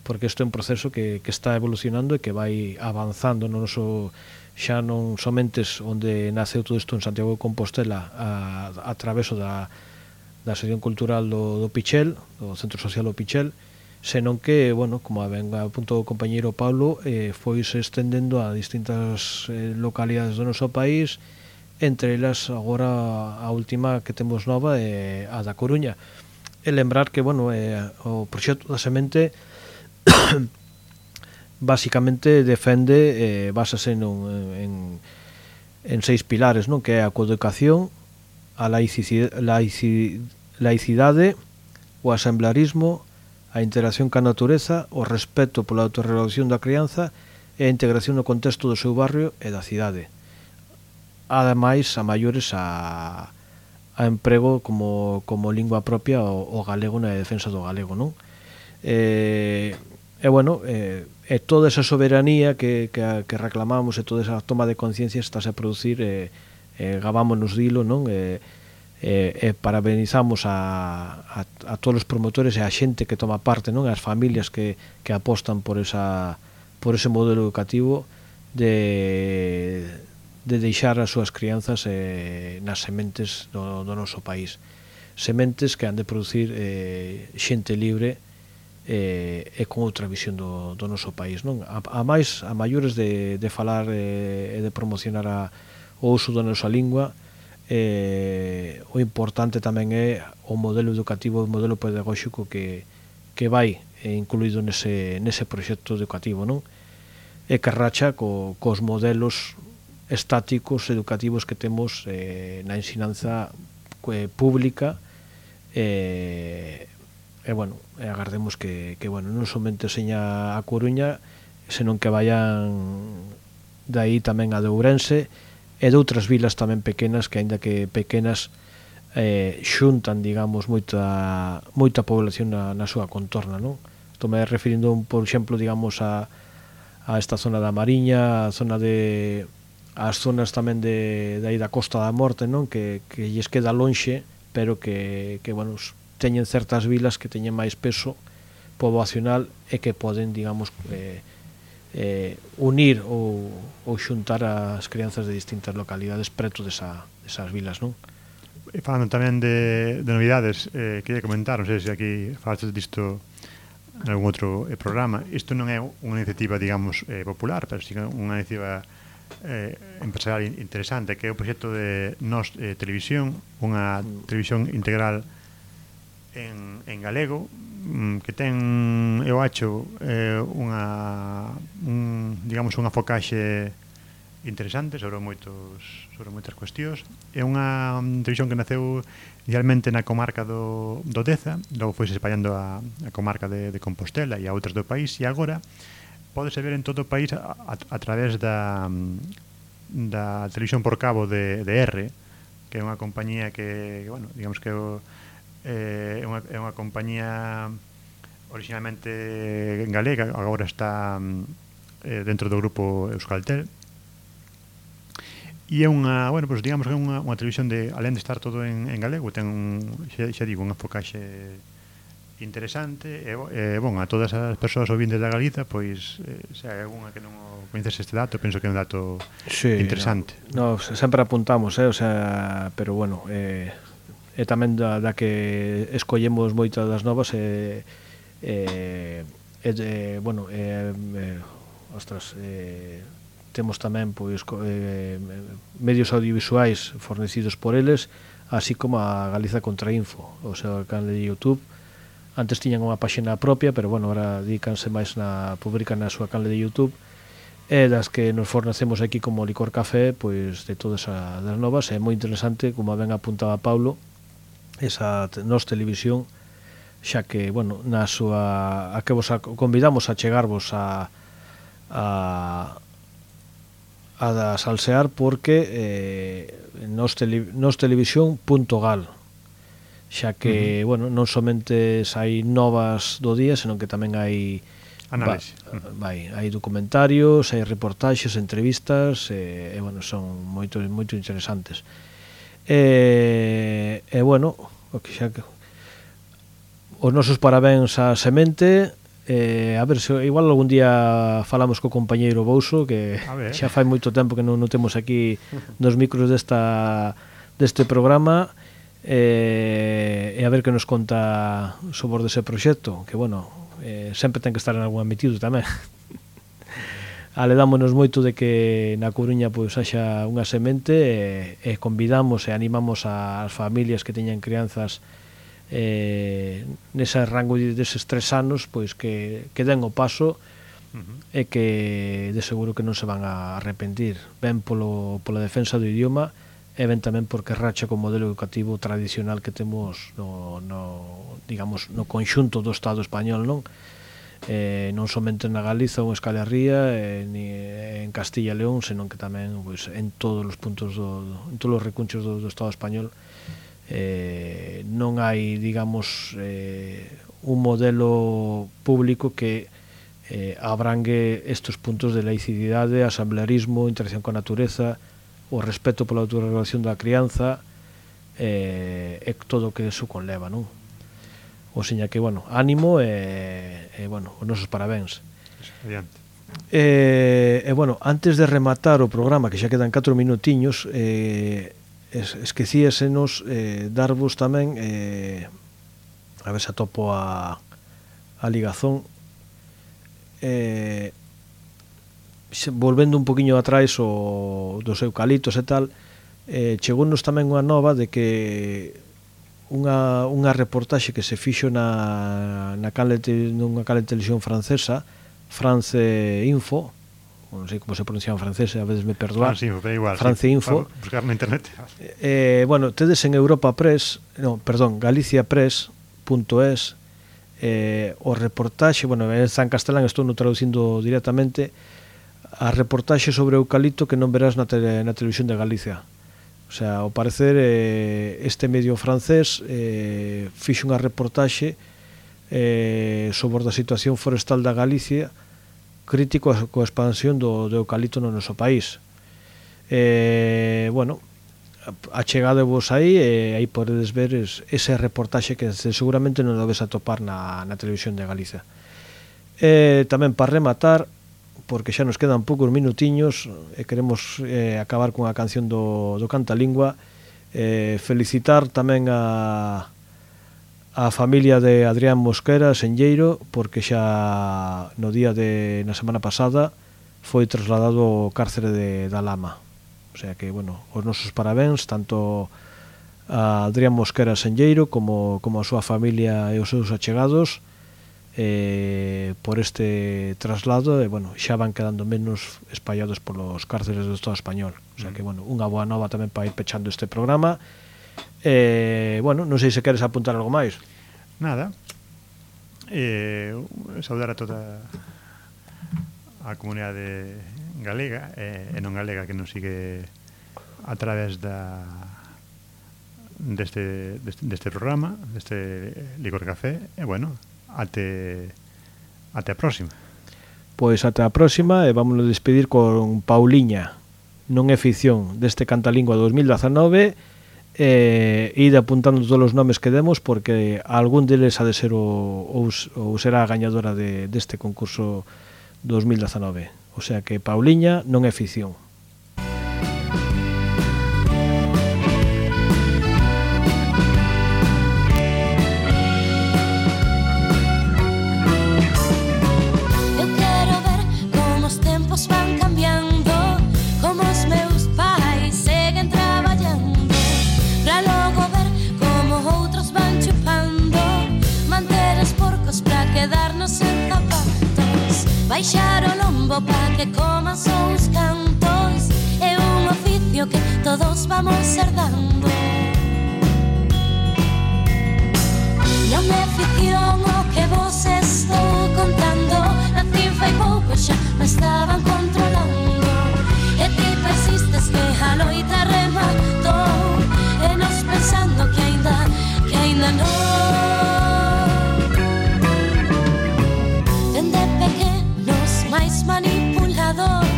Porque isto é un proceso que está evolucionando e que vai avanzando no noso, xa non somente onde naceu todo isto en Santiago de Compostela a traveso da sección cultural do Pichel, do Centro Social do Pichel, senón que, bueno, como ben apuntou o compañeiro Paulo, foi se estendendo a distintas localidades do noso país, entre elas agora a última que temos nova é a da Coruña. E lembrar que, bueno, o proxecto da semente basicamente defende, basase en 6 pilares, non? Que é a coeducación, a laicidade, o asemblarismo, a interacción ca natureza, o respeto pola autorregulación da crianza e a integración no contexto do seu barrio e da cidade. Ademais, a maiores a emprego como lingua propia o galego na defensa do galego, non? E toda esa soberanía que reclamamos e toda esa toma de conciencia estáse a producir, gavámonos dilo, non? Parabenizamos a todos os promotores e a xente que toma parte, non? As familias que apostan por ese modelo educativo de deixar as súas crianzas nas sementes do noso país, sementes que han de producir xente libre e con outra visión do noso país, non? A maiores de falar e de promocionar o uso da nosa lingua, o importante tamén é o modelo educativo, o modelo pedagóxico que vai incluído nese proxecto educativo, non? E que racha cos modelos estáticos educativos que temos na ensinanza pública, agardemos que non somente seña a Coruña, senón que vayan de aí tamén a de Ourense e de outras vilas tamén pequenas, que aínda que pequenas xuntan, digamos, moita población na súa contorna, non? Estou me referindo, por exemplo, digamos, a esta zona da Mariña, as zonas tamén de aí da Costa da Morte, non? Que lles queda lonxe, pero que teñen certas vilas que teñen máis peso poboacional e que poden, digamos, unir ou xuntar as crianzas de distintas localidades preto desas vilas, non? Falando tamén de novidades, quería comentar, non sei se aquí falaste disto en algún outro programa. Isto non é unha iniciativa, digamos, popular, pero sí unha iniciativa empresarial interesante, que é o proxecto de Nós Televisión, unha televisión integral en galego, que ten, eu acho, unha focaxe interesante sobre moitas cuestións. É unha televisión que naceu inicialmente na comarca do Deza, logo foi se espallando a comarca de Compostela e a outras do país, e agora pódese ver en todo o país a través da televisión por cabo de R, que é unha compañía que, digamos que é unha compañía originalmente galega, agora está dentro do grupo Euskaltel, e é unha, digamos que é unha televisión de, alén de estar todo en galego, ten xa digo, unha focaxe interesante, e a todas as persoas ouvintes da Galiza, pois se hai algunha que non coñeces este dato, penso que é un dato interesante. No, sempre apuntamos, pero é tamén da que escollemos moitas das novas temos tamén pois medios audiovisuais fornecidos por eles, así como a Galiza Contrainfo, o sea, o canal de YouTube. Antes tiñan unha páxina propia, pero ahora dedícanse máis publican na súa canal de YouTube, e das que nos fornecemos aquí como Licor Café, pois de todas as novas. É moi interesante, como ben apuntaba Paulo, esa Nós Televisión, xa que, na súa, a que vos convidamos a chegarvos a salsear, porque nostelevisión.gal, xa que, non somente hai novas do día, senón que tamén hai análise, hai documentarios, hai reportaxes, entrevistas, son moito interesantes. Os nosos parabéns a Semente. A ver, se igual algún día falamos co compañeiro Bouso, que xa fai moito tempo que non temos aquí nos micros deste programa, e a ver que nos conta sobre dese proxecto, que sempre ten que estar en algún metido tamén. Aledámonos moito de que na Coruña pois haxa unha semente, e convidamos e animamos ás familias que teñan crianzas nese rango deses 3 anos, pois que den o paso, e que de seguro que non se van a arrepentir, ben pola defensa do idioma, e ben tamén porque racha co modelo educativo tradicional que temos no conxunto do Estado español, non? non somente na Galiza ou en Euskal Herria, ni en Castilla e León, senón que tamén pois, en todos os puntos en todos os recunchos do Estado español. Non hai, digamos, un modelo público que abrangue estes puntos de laicidade, asamblearismo, interacción coa natureza, o respeto pola autorregulación da crianza, e todo o que eso conleva, non? O seña que, bueno, ánimo e bueno, os nosos parabéns. Adiante. Bueno, antes de rematar o programa, que xa quedan 4 minutiños, esquecíasenos darvos tamén, a ver se atopo a ligazón, volvendo un poquinho atrás dos eucaliptos e tal, chegounos tamén unha nova de que unha reportaxe que se fixo nunha canle de televisión francesa, France Info, non sei como se pronuncia en francés, a veces me perdoar, France Info, pero igual, France sí, Info, buscar na internet. Bueno, tedes en Europa Press, galiciapress.es, o reportaxe, bueno, está en castelán, estou no traducindo directamente, a reportaxe sobre o eucalipto que non verás na televisión de Galicia. O sea, ao parecer este medio francés fixo unha reportaxe sobre a situación forestal da Galicia, crítico coa expansión do eucalipto no noso país. Bueno, achegadevos aí e aí podedes ver ese reportaxe que seguramente non lo ves a topar na televisión de Galicia. Tamén para rematar, porque xa nos quedan poucos minutiños e queremos acabar cunha canción do Cantalingua, felicitar tamén a familia de Adrián Mosquera Senlleiro, porque xa no día na semana pasada foi trasladado ao cárcere da Lama. O sea que, bueno, os nosos parabéns tanto a Adrián Mosquera Senlleiro como a súa familia e os seus achegados por este traslado, e, bueno, xa van quedando menos espallados polos cárceres do Estado español. O sea que, bueno, unha boa nova tamén para ir pechando este programa. Bueno, non sei se queres apuntar algo máis. Nada. Saudar a toda a comunidade galega e non galega que nos sigue a través deste programa, deste Licor Café, e bueno, até a próxima. Pois até a próxima, e vámonos despedir con Pauliña, non é ficción, deste Cantalingua 2019, ide apuntando todos os nomes que demos, porque algún deles ha de ser ou será a gañadora deste concurso 2019. O sea que Pauliña non é ficción. Baixar o lombo pa que coman só os cantos, é un oficio que todos vamos herdando. Non é ficción o que vos estou contando, nacín fai pouco xa me estaban controlando, e ti persistes que a loita rematou, e nos pensando que aínda non. Manipulados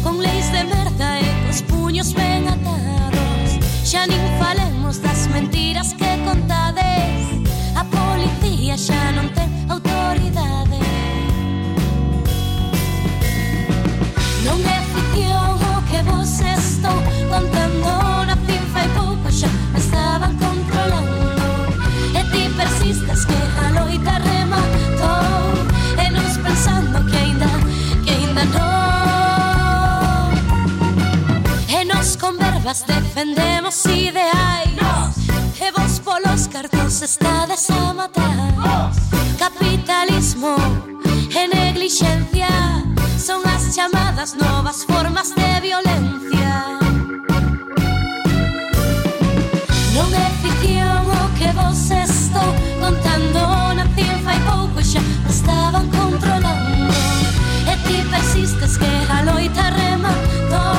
con leis de merda e cos puños ben atados, xa nin falemos das mentiras que contades, a policía xa non ten autoridade. Non é ficción o que vos estou contando, nacín fai pouco xa me estaban controlando, e ti persistes que a loita rematou, e nos pensando que aínda non. E nos con verbas defendemos ideais, e vos polos cartos estades a matar. Capitalismo e neglixencia son as chamadas novas formas de violencia. Non é ficción o que vos estou contando, nacín fai pouco xa me estaban contando, persistes que a loita rematou.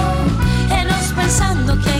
E nos pensando que